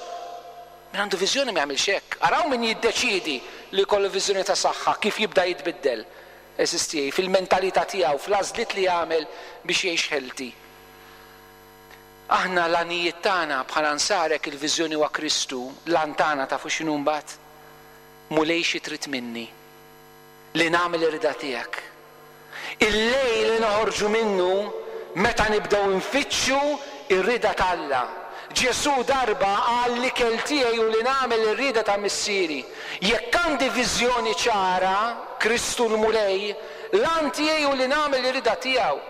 Min għandu viżjoni ma jagħmilx hekk. Araw min jiddeċiedi li jkollu viżjoni ta' saħħa, kif jibda jitbiddel. Eżisti fil-mentalità tiegħu, fl-għażliet li jagħmel biex jgħix healthy. Aħna l-għanijiet tagħna bħala nsarek il-viżjoni huwa Kristu, l-għan tagħna tafu x'inhu mbagħad? Mulej xi trid minni? Li nagħmel ir-rida tiegħek. Il-lejl li noħorġu minnu meta nibdew nfittxu ir-rida t'Alla. Ġesù darba qal li l-ikel tiegħi u li nagħmel ir-rida ta' missieri. Jekk għandi viżjoni ċara, Kristu l-Mulej, l-għan tiegħi u li nagħmel ir-rida tiegħu.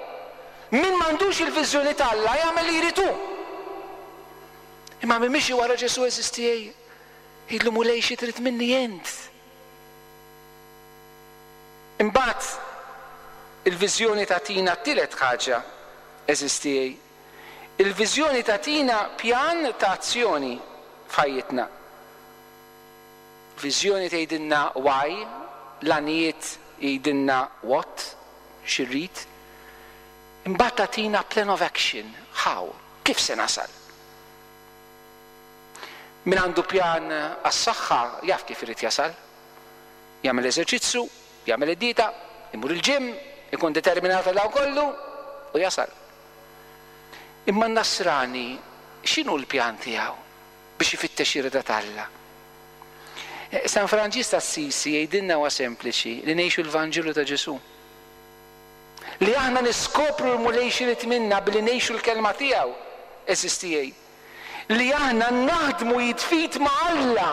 Min m'għandux il-viżjoni t'Alla jagħmel li jrid hu. Imma min miexi wara Ġesù għeżież tiegħi, jgħidlu Mulej xi trid minni int. Imbagħad il-viżjoni tagħtina t-tielet ħaġa, għeżież tiegħi. Il-viżjoni tagħtina pjan ta' azzjoni f'ħajjitna. Viżjoni tgħidilna why, l-għanijiet jgħidilna what, x'irrid. Imbagħad tagħtina plan of action, how, kif se nasal. Min għandu pjan għas-saħħa jaf kif irid jasal. Jagħmel eżerċizzju, jagħmel id-dieta, imur il-gym, ikun determinat għal dawn kollu u jasal. Imma n-Nasrani x'inhu l-pjan tiegħu biex ifittex ir-rida t'Alla? San Franġisk Assisi jgħidilna huwa sempliċi li ngħixu l-Vanġelu ta' Ġesù. Li aħna niskopru l-Mulej x'irid minna billi ngħixu l-kelma tiegħu, għeżież tiegħi. Li aħna naħdmu jitfit ma' Alla,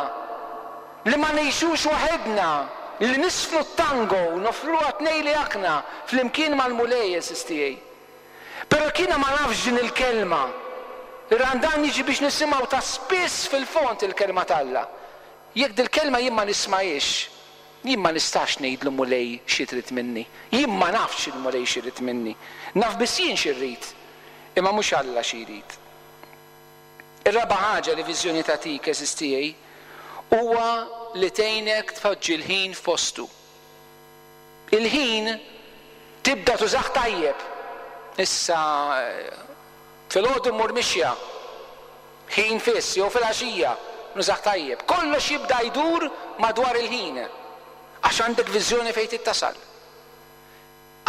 li ma ngħixux waħedna, li nisfnu t-tango, nofruha tnej li aħna flimkien mal-Mulej, għeżież tiegħi. Però kiena ma nafx din il-kelma. Ir-Randan jiġi biex nisimgħu ta' spiss fil-fond il-kelma t'Alla. Jekk dil-kelma jien ma nismajiex, jien ma nistax ngħidlu Mulej xi trid minni. Jien ma nafx il-Mulej xi jrid minni. Naf biss jien xi rrid, imma mhux Alla xi jrid. Ir-raba' ħaġa li viżjoni tagħtik, għeżież tiegħi, huwa li tgħinek tpoġġi l-ħin f'postu. Il-ħin tibda tużah tajjeb. Issa filgħodu mmur mixja, ħin fiss, jew filgħaxija, nużah tajjeb. Kollox jibda jdur madwar il-ħin, għax għandek viżjoni fejn tittasal.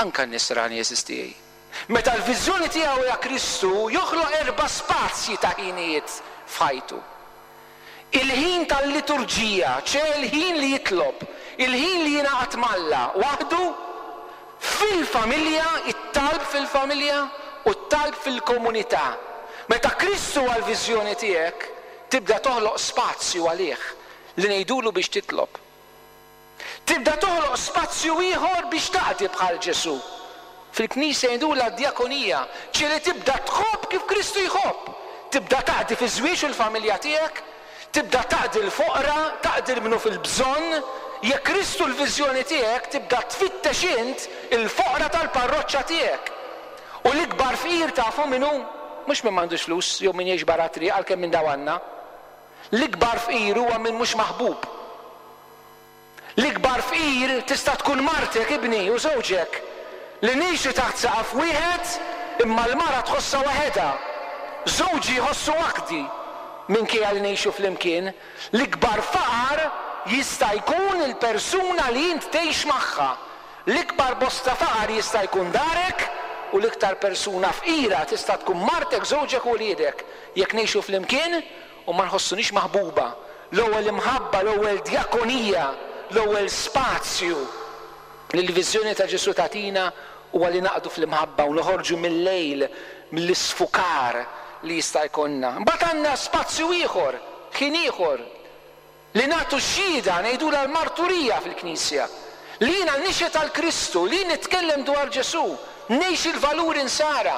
Anka n-nisrani għeżież tiegħi. Meta l-viżjoni tiegħu hija Kristu, joħloq erba' spazji ta' ħinijiet f'ħajtu. Il-ħin tal-liturġija, ċe il-ħin li jitlob, il-ħin li jingħaqad m'Alla waħdu, fil-familja, it-talb fil-familja u t-talb fil-komunità. Meta Kristu huwa l-viżjoni tiegħek, tibda toħloq spazju għalih li ngħidulu biex titlob. Tibda toħloq spazju ieħor biex taqdi bħal Ġesù. Fil-Knisja jgħidulha d-djakonija, ċe li tibda tħobb kif Kristu jħobb. Tibda taqdi fiż-żwieġ u l-familja tiegħek, tibda taqdi l-foqra, taqdi l-minu fil-bżonn. Jekk Kristu l-viżjoni tiegħek, tibda tfittex int il-foqra tal-parroċċa tiegħek. U l-ikbar fqir tafu min hu? Mhux min m'għandux flus jew min jgħix barra triq, għalkemm minn daw għandna. L-ikbar fqir huwa min mhux maħbub. L-ikbar fqir tista' tkun martek, ibni, u żewġek, li ngħixu taħt saqaf wieħed imma l-mara tħossha waħedha. Żewġi jħossu waħdi minkejja li ngħixu flimkien. L-ikbar faqar jista' jkun il-persuna li int tgħix magħha. L-ikbar bosta faqar jista' jkun darek, u l-iktar persuna fqira tista' tkun martek, żewġek u wliedek, jekk ngħixu flimkien u ma nħossunix maħbuba. L-ewwel imħabba, l-ewwel djakonija, l-ewwel spazju li l-viżjoni ta' Ġesù tagħtina huwa li naqdu fl-imħabba u noħorġu mill-lejl, mill-isfukar li jista' jkollna. Mbagħad għandna spazju ieħor, ħin ieħor, li nagħtu xhieda, ngħidulha l-marturija fil-Knisja, li jiena nixhed għal Kristu, li nitkellem dwar Ġesù, ngħix il-valuri nsara,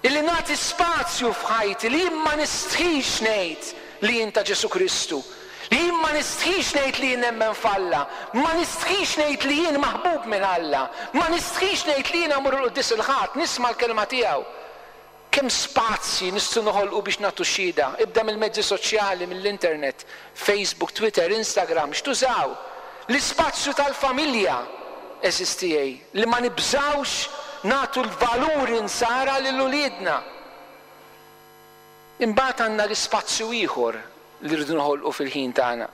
illi nagħti spazju f'ħajti li jien ma nistħix ngħid li jien ta' Ġesù Kristu, li jien ma nistħix ngħid li jien nemmen f'Alla, ma nistħix ngħid li jien maħbub minn Alla, ma nistħix ngħid li jien mmur il-quddies il-Ħadd, nisma' l-kelma tiegħu. Kemm spazji nistgħu noħolqu biex nagħtu xhieda? Ibda mill-mezzi soċjali, mill-internet, Facebook, Twitter, Instagram, x'tużaw? L-ispazju tal-familja, għeżież tiegħi, li ma nibżgħux nagħtu l-valuri nsara lil uliedna. Imbagħad għandna l-ispazju ieħor li rridu noħolqu fil-ħin tagħna,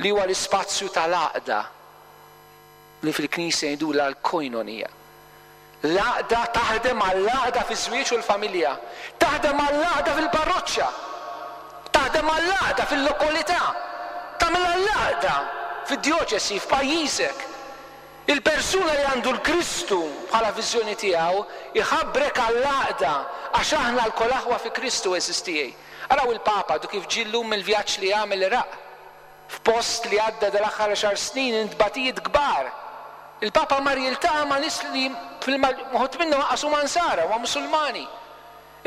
li huwa l-ispazju tal-għaqda, li fil-Knisja jgħidulha l-koinonija. L-għaqda taħdem għall-għaqda fiż-żwieġ u l-familja, taħdem għall-għaqda fil-parroċċa, taħdem għall-għaqda fil-lokalità, tagħmel għall-għaqda fid-djoċesi, f'pajjiżek. Il-persuna li għandu l-Kristu bħala viżjoni tiegħu iħabbrek għall-għaqda, għax aħna lkoll aħwa fi Kristu, għeżież tiegħi. Araw il-Papa du kif ġie llum mill-vjaġġ li għamel l-Iraq, f'post li għadda dal-aħħar għaxar snin intbatijiet kbar. Il-Papa mar jiltaqa' ma' nies li uħud minnhom lanqas huma nsara, huma Musulmani.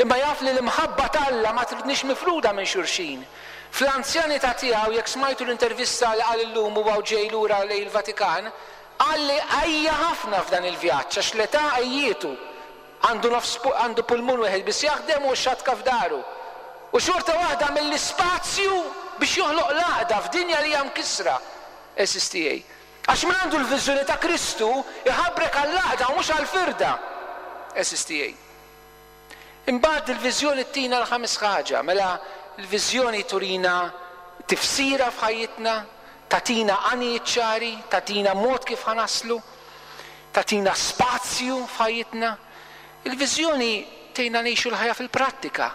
Imma jaf li l-imħabba t'Alla ma tridniex mifruda minn xulxin. Fl-anzjanità tiegħu, jekk smajtu l-intervista li qal illum huwa u ġej lura lejn il-Vatikan, qal li għajja ħafna f'dan il-vjaġġ għax l-età għajjietu. Għandu nofs pu-, għandu pulmun wieħed biss jaħdem u x-xatka f'daru. U xorta waħda mill-ispazju biex joħloq l-għaqda f'dinja li hija mkissra, għeżież tiegħi. Għax min għandu l-viżjoni ta' Kristu iħabrek għall-għaqda u mhux għall-firda, għeżież tiegħi. Imbagħad il-viżjoni tina l-ħames ħaġa, mela l-viżjoni turina tifsira f'ħajjitna, tatina għanijiet ċari, tatina mod kif ħanaslu, tatina spazju f'ħajjitna. Il-viżjoni tgħinna ngħixu l-ħajja fil-prattika.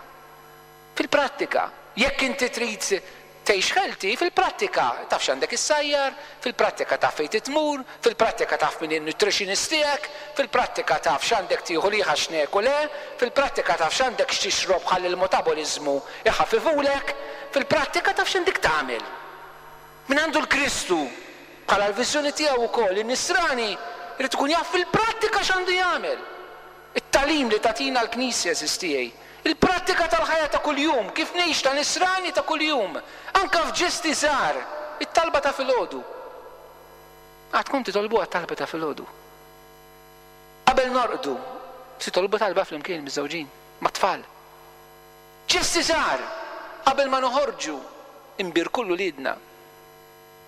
Fil-prattika, jekk inti trid tgħix healthy, fil-prattika taf x'għandek issajjar, fil-prattika taf fejn titmur, fil-prattika taf min in-nutritionist tiegħek, fil-prattika taf x'għandek tieħu li ħaxnek u le, fil-prattika taf x'għandek x'tixrob ħalli l-metaboliżmu iħaffifulek, fil-prattika taf x'għandek tagħmel. Min għandu l-Kristu bħala l-viżjoni tiegħu wkoll, in-nisrani irid ikun jaf fil-prattika x'għandu jagħmel. It-tagħlim li tagħtina l-Knisja, għeżież tiegħi, il-prattika tal-ħajja ta' kuljum, kif ngħix ta' nisrani ta' kuljum, anka f'ġesti żgħar, it-talba ta' filgħodu. Għad tkun titolbuha t-talba ta' filgħodu. Qabel norqdu, titolbu talba flimkien miż-żewġin, mat-tfal. Ġesti żgħar, qabel ma noħorġu, imbierku lil uliedna.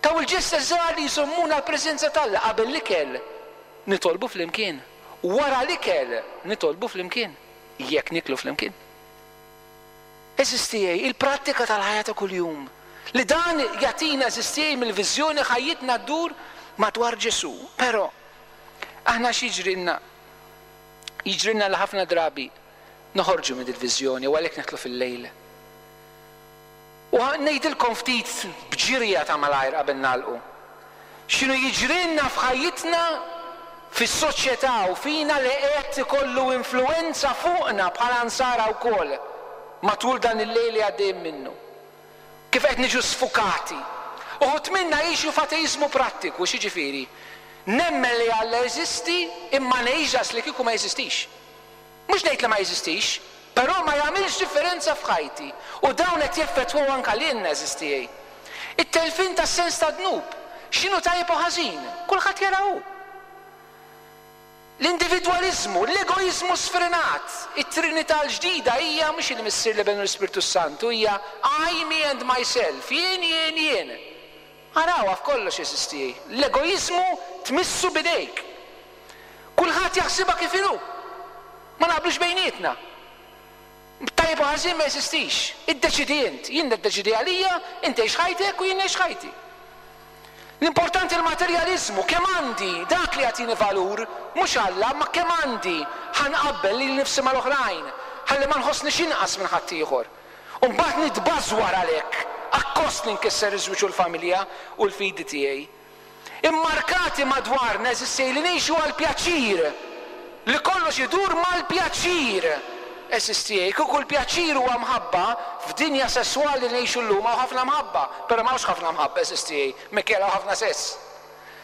Taw il-ġesti żgħar li jżommuna l-preżenza t'Alla. Qabel l-ikel nitolbu flimkien, wara l-ikel nitolbu flimkien, jekk niklu flimkien. Għeżież tiegħi, il-prattika tal-ħajja ta' kuljum, li dan jagħtina, għeżież tiegħi, mill-viżjoni ħajjitna ddur madwar Ġesù. Però aħna x'jiġrilna? Jiġrilna li ħafna drabi noħorġu minn il-viżjoni u għalhekk nidħlu fil-lejl. U ngħidilkom ftit b'ġirja ta' malajr qabel nagħlqu. X'inhu jiġrilna f'ħajjitna, fis-soċjetà u fina li qed ikollu influenza fuqna bħala nsara wkoll matul dan il-lejl li għaddejjin minnu. Kif qed niġu sfukati. Uħud minna jgħixu f'ateiżmu prattiku, x'jiġifieri? Nemmen li Alla jeżisti imma ngħix li kieku ma jeżistix. Mhux ngħid li ma jeżistix, però ma jagħmilx differenza f'ħajti. U dawn qed jeffettwaw anke lilna, għeżież tiegħi. It-telfin tas-sens ta' dnub, x'inhu tajjeb u ħażin, kulħadd jara hu. L-individwaliżmu, l-egoiżmu sfrenat, it-Trinità l-ġdida hija mhux il-Missier, l-Iben u l-Ispirtu Santu, hija I, me and myself, jien, jien, jien. Arawha f'kollox, għeżież tiegħi. L-egoiżmu tmissu b'idejk. Kulħadd jaħsibha kif inhu. Ma naqblux bejnietna. Tajjeb u ħażin ma jeżistix. Iddeċidi int, jien niddeċidi għalija, inti għix ħajtek u jien ngħix ħajti. L-importanti l-materjaliżmu, kemm għandi, dak li jagħtini valur, mhux Alla, ma kemm għandi, ħa nqabbel lili nnifsi mal-oħrajn, ħalli ma nħossnix inqas minn ħaddieħor. U mbagħad nitbażwar għalhekk, akkost li nkisser iż-żwieġ u l-familja u l-fidi tiegħi. Immarkati madwarna, għeżież tiegħi, li ngħixu għall-pjaċir, li kollox idur mal-pjaċir. Għeżież tiegħi, kieku l-pjaċir huwa mħabba, f'dinja sesswali li ngħixu llum hawn ħafna mħabba, però m'hawnx ħafna mħabba, għeżież tiegħi, minkejja hawn ħafna sess.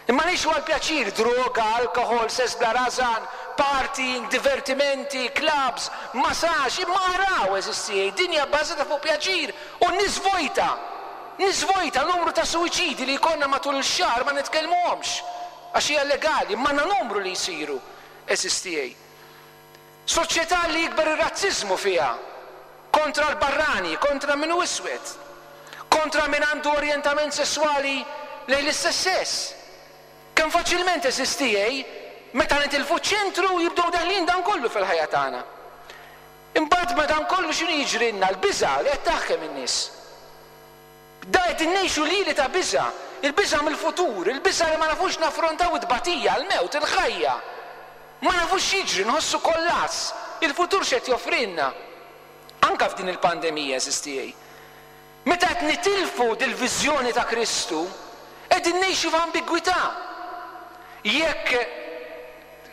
Imma ngħixu għall-pjaċir, droga, alkoħol, sess bla rażan, partying, divertimenti, clubs, massage, imma araw, għeżież tiegħi, dinja bbażata fuq pjaċir u n-nies vojta. Nies vojta, numru ta' suwiċidi li jkollna matul ix-xahar ma nitkellmuhomx, għax hija llegali, imma għandna numru li jsiru, għeżież tiegħi. Soċjetà li jikber ir-razziżmu fiha, kontra l-barrani, kontra min hu iswed, kontra min għandu orjentament sesswali lejn l-istess sess. Kemm faċilment, għeżież tiegħi, meta nitilfu ċ-ċentru jibdew deħlin dan kollu fil-ħajja tagħna. Imbagħad ma dan kollu x'inhu jiġrilna? L-biża' li qed taħkem in-nies. Da qed innejxu lili ta' biża', il-biża' mill-futur, il-biża' li ma nafux naffrontaw it-tbatija, l-mewt, il-ħajja. Ma nafux x'jiġri, nħossu kollass. Il-futur x'qed joffrilna? Anka f'din il-pandemija, għeżież tiegħi. Meta qed nitilfu dil-viżjoni ta' Kristu, qegħdin ngħixu f'ambigwità. Jekk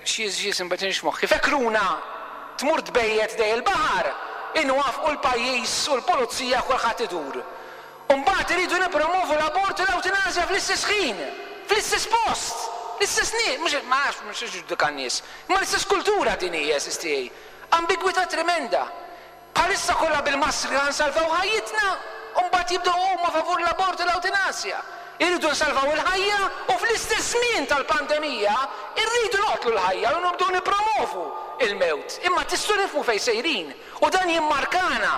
xi xi simbatinx moħħi, fekruna tmur tbejjet dej il-baħar, inwafqu l-pajjiż u l-pulizija kulħadd idur. U mbagħad iridu nippromovu l-abort u l-ewtanasja fl-istess ħin, fl-istess post, l-istess nies, mhux ma nafx mhux ġudika n-nies, imma l-istess kultura din hija, għeżież tiegħi. Ambigwità tremenda. Bħalissa kollha bil-maskri ħa nsalvaw ħajjitna, u mbagħad jibdew huma favur l-abort u l-ewtanasja. Irridu nsalvaw il-ħajja u fl-istess żmien tal-pandemija irridu noqtlu l-ħajja u nibdew nippromovu il-mewt. Imma tistgħu nifhmu fejn sejrin u dan jimmarkana.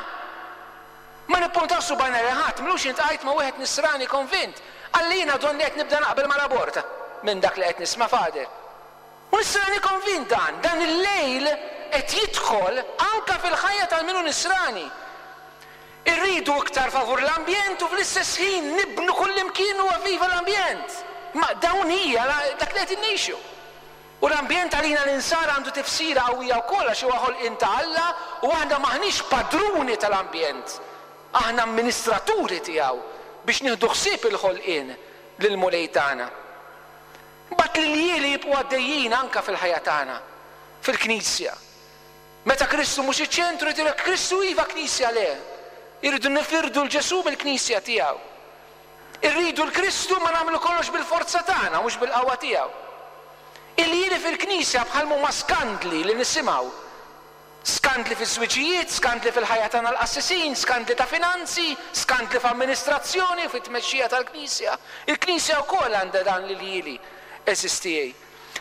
Ma nippuntaw subgħajna lil ħadd, mlux intqajt ma' wieħed nisrani konvint. Qalli jiena donni qed nibda naqbel mal-abort minn dak li qed nisma' Father. U nisrani konvint dan, dan il-lejl qed jidħol anka fil-ħajja tal-minu nisrani. Irridu iktar favur l-ambjent u fl-istess ħin nibnu kullimkien u viva l-ambjent. Ma dawn hija dak li qed innejxu. U l-ambjent għalina l-insara għandu tifsira qawwija wkoll għax huwa ħolqien ta' Alla u aħna m'aħniex padruni tal-ambjent. Aħna amministraturi tiegħu biex nieħdu ħsieb il-ħolqien lill-Mulej tagħna. Mbagħad l-iljieli jibqgħu għaddejjin anka fil-ħajja tagħna, fil-Knisja. Meta Kristu mhux iċ-ċentru jidhirlek Kristu iva Knisja le. Irridu nifirdu l-Ġesù mill-Knisja tiegħu. Irridu l-Kristu ma nagħmlu kollox bil-forza tagħna mhux bil-qawwa tiegħu. Iljieli fil-Knisja bħal huma skandli li nisimgħu. Skandli fiż-żwiġijiet, skandli fil-ħajja tagħna l-qassisin, skandli ta' finanzi, skandli f'amministrazzjoni u fit-tmexxija tal-Knisja. Il-Knisja wkoll għandha dan l-iljieli, għeżież tiegħi.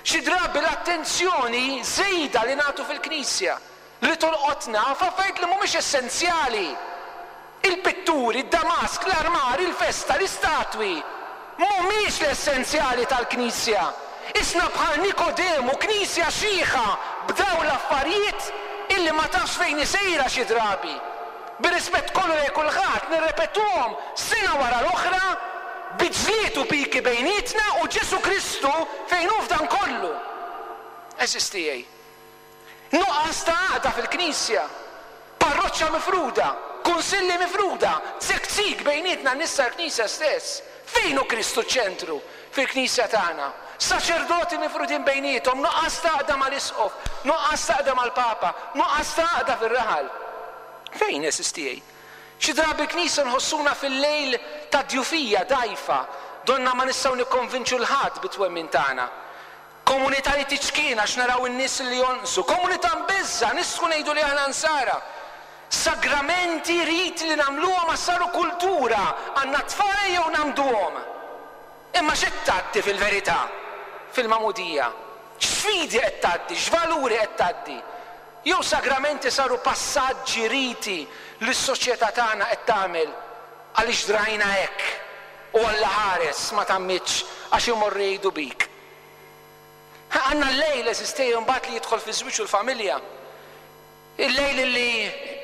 Xi drabi l-attenzjoni żejda li nagħtu fil-Knisja li tolqotna f'affarijiet li mhumiex essenzjali. Il-pitturi, id-damask, l-armar, il-festa, l-istatwi mhumiex l-essenzjali tal-Knisja. Isna bħal Nikodemu, Knisja xiħa b'dawn l-affarijiet illi ma tafx fejn isejra xi drabi. Bir-rispett kollu lejn kulħadd nirrepetuhom sena wara l-oħra bi ġlied u piki bejnietna u Ġesù Kristu fejn hu f'dan kollu. Għeżież tiegħi. Nuqqas ta' għaqda fil-Knisja, parroċċa mifruda, kunsilli mifruda, zekzik bejnietna n-nies tal-Knisja stess. Fejn hu Kristu ċ-ċentru fil-Knisja tagħna? Saċerdoti mifrudin bejniethom, nuqqas ta' għaqda mal-Isqof, nuqqas ta' għaqda mal-Papa, nuqqas ta' għaqda fir-raħal. Fejn, għeżież tiegħi? Xi drabi l-Knisja nħossuna fil-lejl ta' djufija dgħajfa, donna ma nistgħu nikkonvinċu l-ħadd bit-twemmin tagħna. Komunità li tiċkien għax naraw in-nies li jonqsu, komunità mbeżża, nistgħu ngħidu li aħna nsara. Sagramenti, riti li nagħmluhom ma saru kultura, għandna tfal jew nagħmduhom. Imma x'qed tgħaddi fil-verità? Fil-magħmudija. X'fidi qed tgħaddi, x'valuri qed tgħaddi? Jew sagramenti saru passaġġi, riti li s-soċjetà tagħna qed tagħmel għaliex drajna hekk u Alla ħares ma tgħammidx għax imorru jgħidu bik. Għandna l-lejl, għeżież tiegħi, mbagħad li jidħol fiż-żwieġ u l-familja. Il-lejl li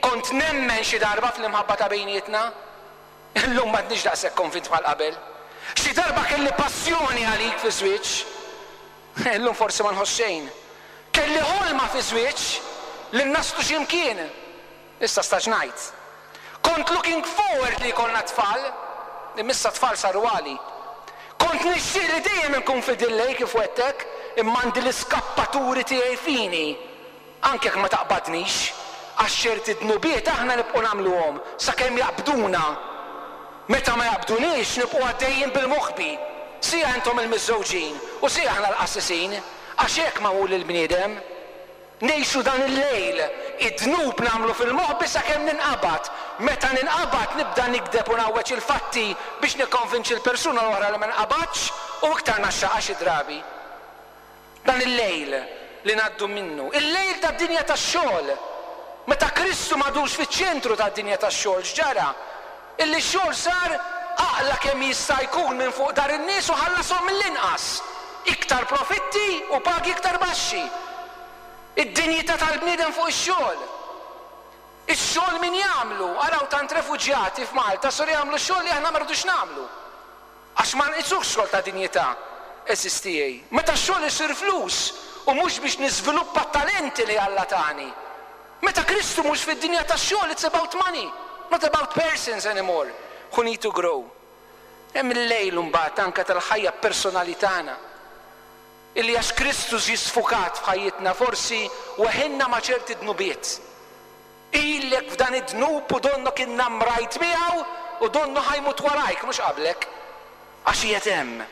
kont nemmen xi darba fl-imħabba ta' bejnietna, illum m'għadniex daqshekk konvint bħal qabel. Xi darba kelli passjoni għalik fiż-żwieġ, illum forsi ma nħoss xejn. Kelli ħolma fiż-żwieġ li naslu xi mkien, issa staġnajt. Kont looking forward li jkollna tfal, imma issa tfal saru għali. Kont nixtieq li dejjem inkun fidil lejk kif wegħedtek, imma għandi l-iskappaturi tiegħi fini, anke jekk ma taqbadnix, għax ċerti dnubiet aħna nibqgħu nagħmluhom sakemm jaqbduna. Meta ma jaqbduniex nibqgħu għaddejjin bil-moħbi, sija intom il-miżżewġin u sija aħna l-qassisin, għax hekk magħmul il-bniedem. Ngħixu dan il-lejl, id-dnub nagħmlu fil-moħbi sakemm ninqabad. Meta ninqabad nibda nigdeb u ngħawweġ il-fatti biex nikkonvinċi l-persuna l-oħra li ma nqabadx u iktar naxxaqha xi drabi. Dan il-lejl li ngħaddu minnu, il-lejl tad-dinja tax-xogħol. Meta Kristu m'għadux fiċ-ċentru tad-dinja tax-xogħol, x'ġara? Illi x-xogħol sar aqla kemm jista' jkun minn fuq dar in-nies u ħallashom mill-inqas. Iktar profitti u pagi iktar baxxi. Id-dinjità tal-bniedem fuq ix-xogħol. Ix-xogħol min jagħmlu? Araw tant refuġjati f'Malta saru jagħmlu xogħol li aħna ma rridux nagħmlu. Għax ma nqisux xogħol ta' dinjità, għeżież tiegħi. Meta x-xogħol isir flus u mhux biex niżviluppa t-talenti li Alla tani. Meta Kristu mhux fid-dinja tax-xogħol, it's about money, not about persons anymore who need to grow. Hemm il-lejl mbagħad anke tal-ħajja personali tagħna. Illi għax Kristu ġie sfukat f'ħajjitna forsi weħilna ma' ċerti dnubiet. Ilek f'dan id-dnub u donnok innamrajt miegħu u donnu ħa jmut warajk, mhux qablek. Għax qiegħed hemm.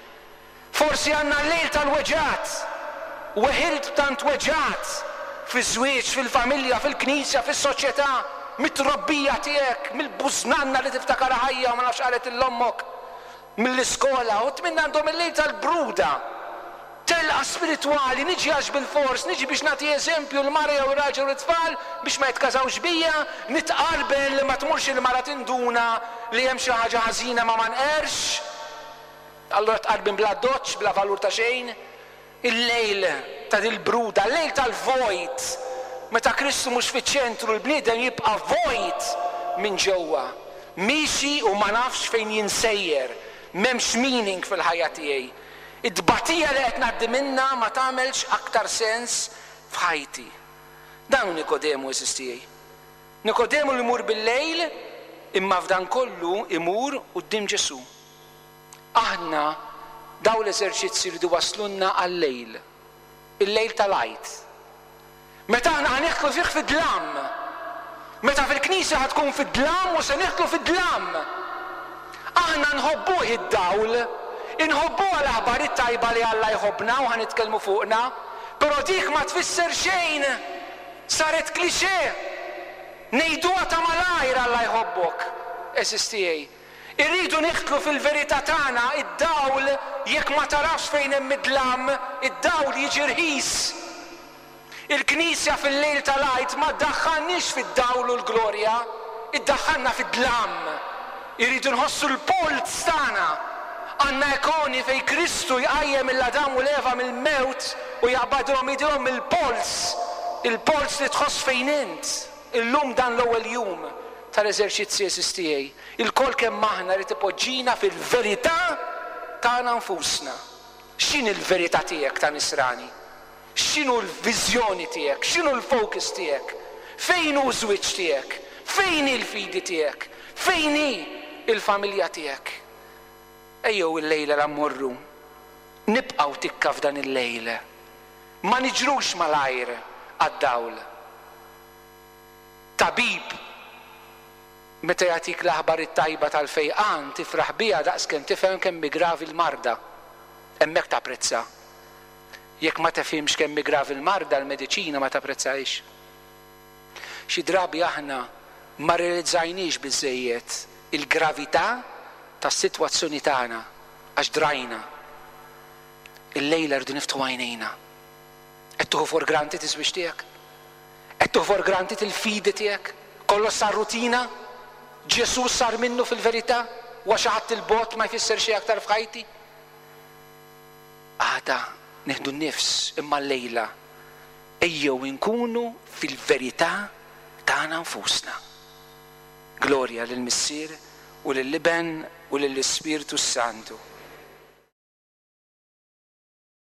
Forsi għandna l-lejl tal-weġgħat. Weħilt b'tant weġgħat fiż-żwieġ, fil-familja, fil-knisja, fis-soċjetà, mit-trobbija tiegħek, mill-bużnanna li tiftakar ħajja u ma nafx qalet lil ommok, mill-iskola, u tminn għandhom il-lejl tal-bruda. Telqa spiritwali, niġi għax bil-fors, niġi biex nagħti eżempju l-mara jew raġel u t-tfal biex ma jitkażawx bija, nitqarben li ma tmurx il-mara tinduna li hemm xi ħaġa ħażina ma ma nqerx. Allura tqarbin bla doċ, bla valur ta' xejn. Il-lejl ta' dil-bruda, il-lejl tal-vojt, meta Kristu mhux fiċ-ċentru, l-bniedem jibqa' vojt minn ġewwa. Miexi u ma nafx fejn jinsejjer, m'hemmx meaning fil-ħajja tiegħi. Id-tbatija li qed ngħaddi minnha ma tagħmelx aktar sens f'ħajti. Dan hu Nikodemu, għeżież tiegħi. Nikodemu li jmur bil-lejl, imma f'dan kollu imur quddiem Ġesù. Aħna daw l-eżerċizzi rridu waslunna għal-lejl, il-lejl tal-Għid. Meta aħna ħa nidħlu fih fid-dlam, meta fil-knisja ħa tkun fid-dlam u se nidħlu fid-dlam. Aħna nħobbuh id-dawl, inħobbuha l-aħbar it-tajba li Alla jħobbna u ħa nitkellmu fuqna, però dik ma tfisser xejn, saret cliché. Ngħiduha ta' malajr Alla jħobbok, għeżież tiegħi. Irridu nidħlu fil-verità tagħna, id-dawl jekk ma tarafx fejn hemm id-dlam, id-dawl jiġi rħis. Il-Knisja fil-lejl tal-Għid ma ddaħħalniex fid-dawl u l-glorja, iddaħħalna fid-dlam. Irridu nħossu l-polz tagħna. Għandna ikoni fejn Kristu jqajjem lil Adam u l-Eva mill-mewt u jaqbadhom idejhom mill-polz, il-polz li tħoss fejn int. Illum dan l-ewwel jum tal-eżerċizzi, għeżież tiegħi. Ilkoll kemm aħna rrid ipoġġina fil-verità tagħna nfusna. X'inhi l-verità tiegħek ta' nisrani? X'inhu l-viżjoni tiegħek? X'inhu l-focus tiegħek? Fejn hu ż-żwieġ tiegħek? Fejn hi l-fidi tiegħek? Fejn hi il-familja tiegħek? Ejjew il-lejla la mmorru. Nibqgħu tikka f'dan il-lejl. Ma niġrux malajr għad-dawl. Tabib meta jagħtik l-aħbar it-tajba tal-fejqan tifraħ biha daqskemm tifhem kemm hi gravi l-marda. Hemmhekk tapprezza. Jekk ma tefhimx kemm hi gravi l-marda, l-mediċina ma tapprezzahiex. Xi drabi aħna ma realizzajniex biżżejjed il-gravità tas-sitwazzjoni tagħna għax drajna. Il-lejla rridu niftħu għajnejna. Qed tieħu for granted iż-żwieġ tiegħek? Qed tieħu for granted il-fidi tiegħek? Kollox sar rutina? Ġesù sar minnu fil-verità? Huwa xi ħadd il-bogħod ma jfisser xejn aktar f'ħajti? Għada nieħdu n-nifs imma llejla ejjew inkunu fil-verità tagħna nfusna. Glorja lill-Missier u lill-Iben u lill-Ispirtu Santu.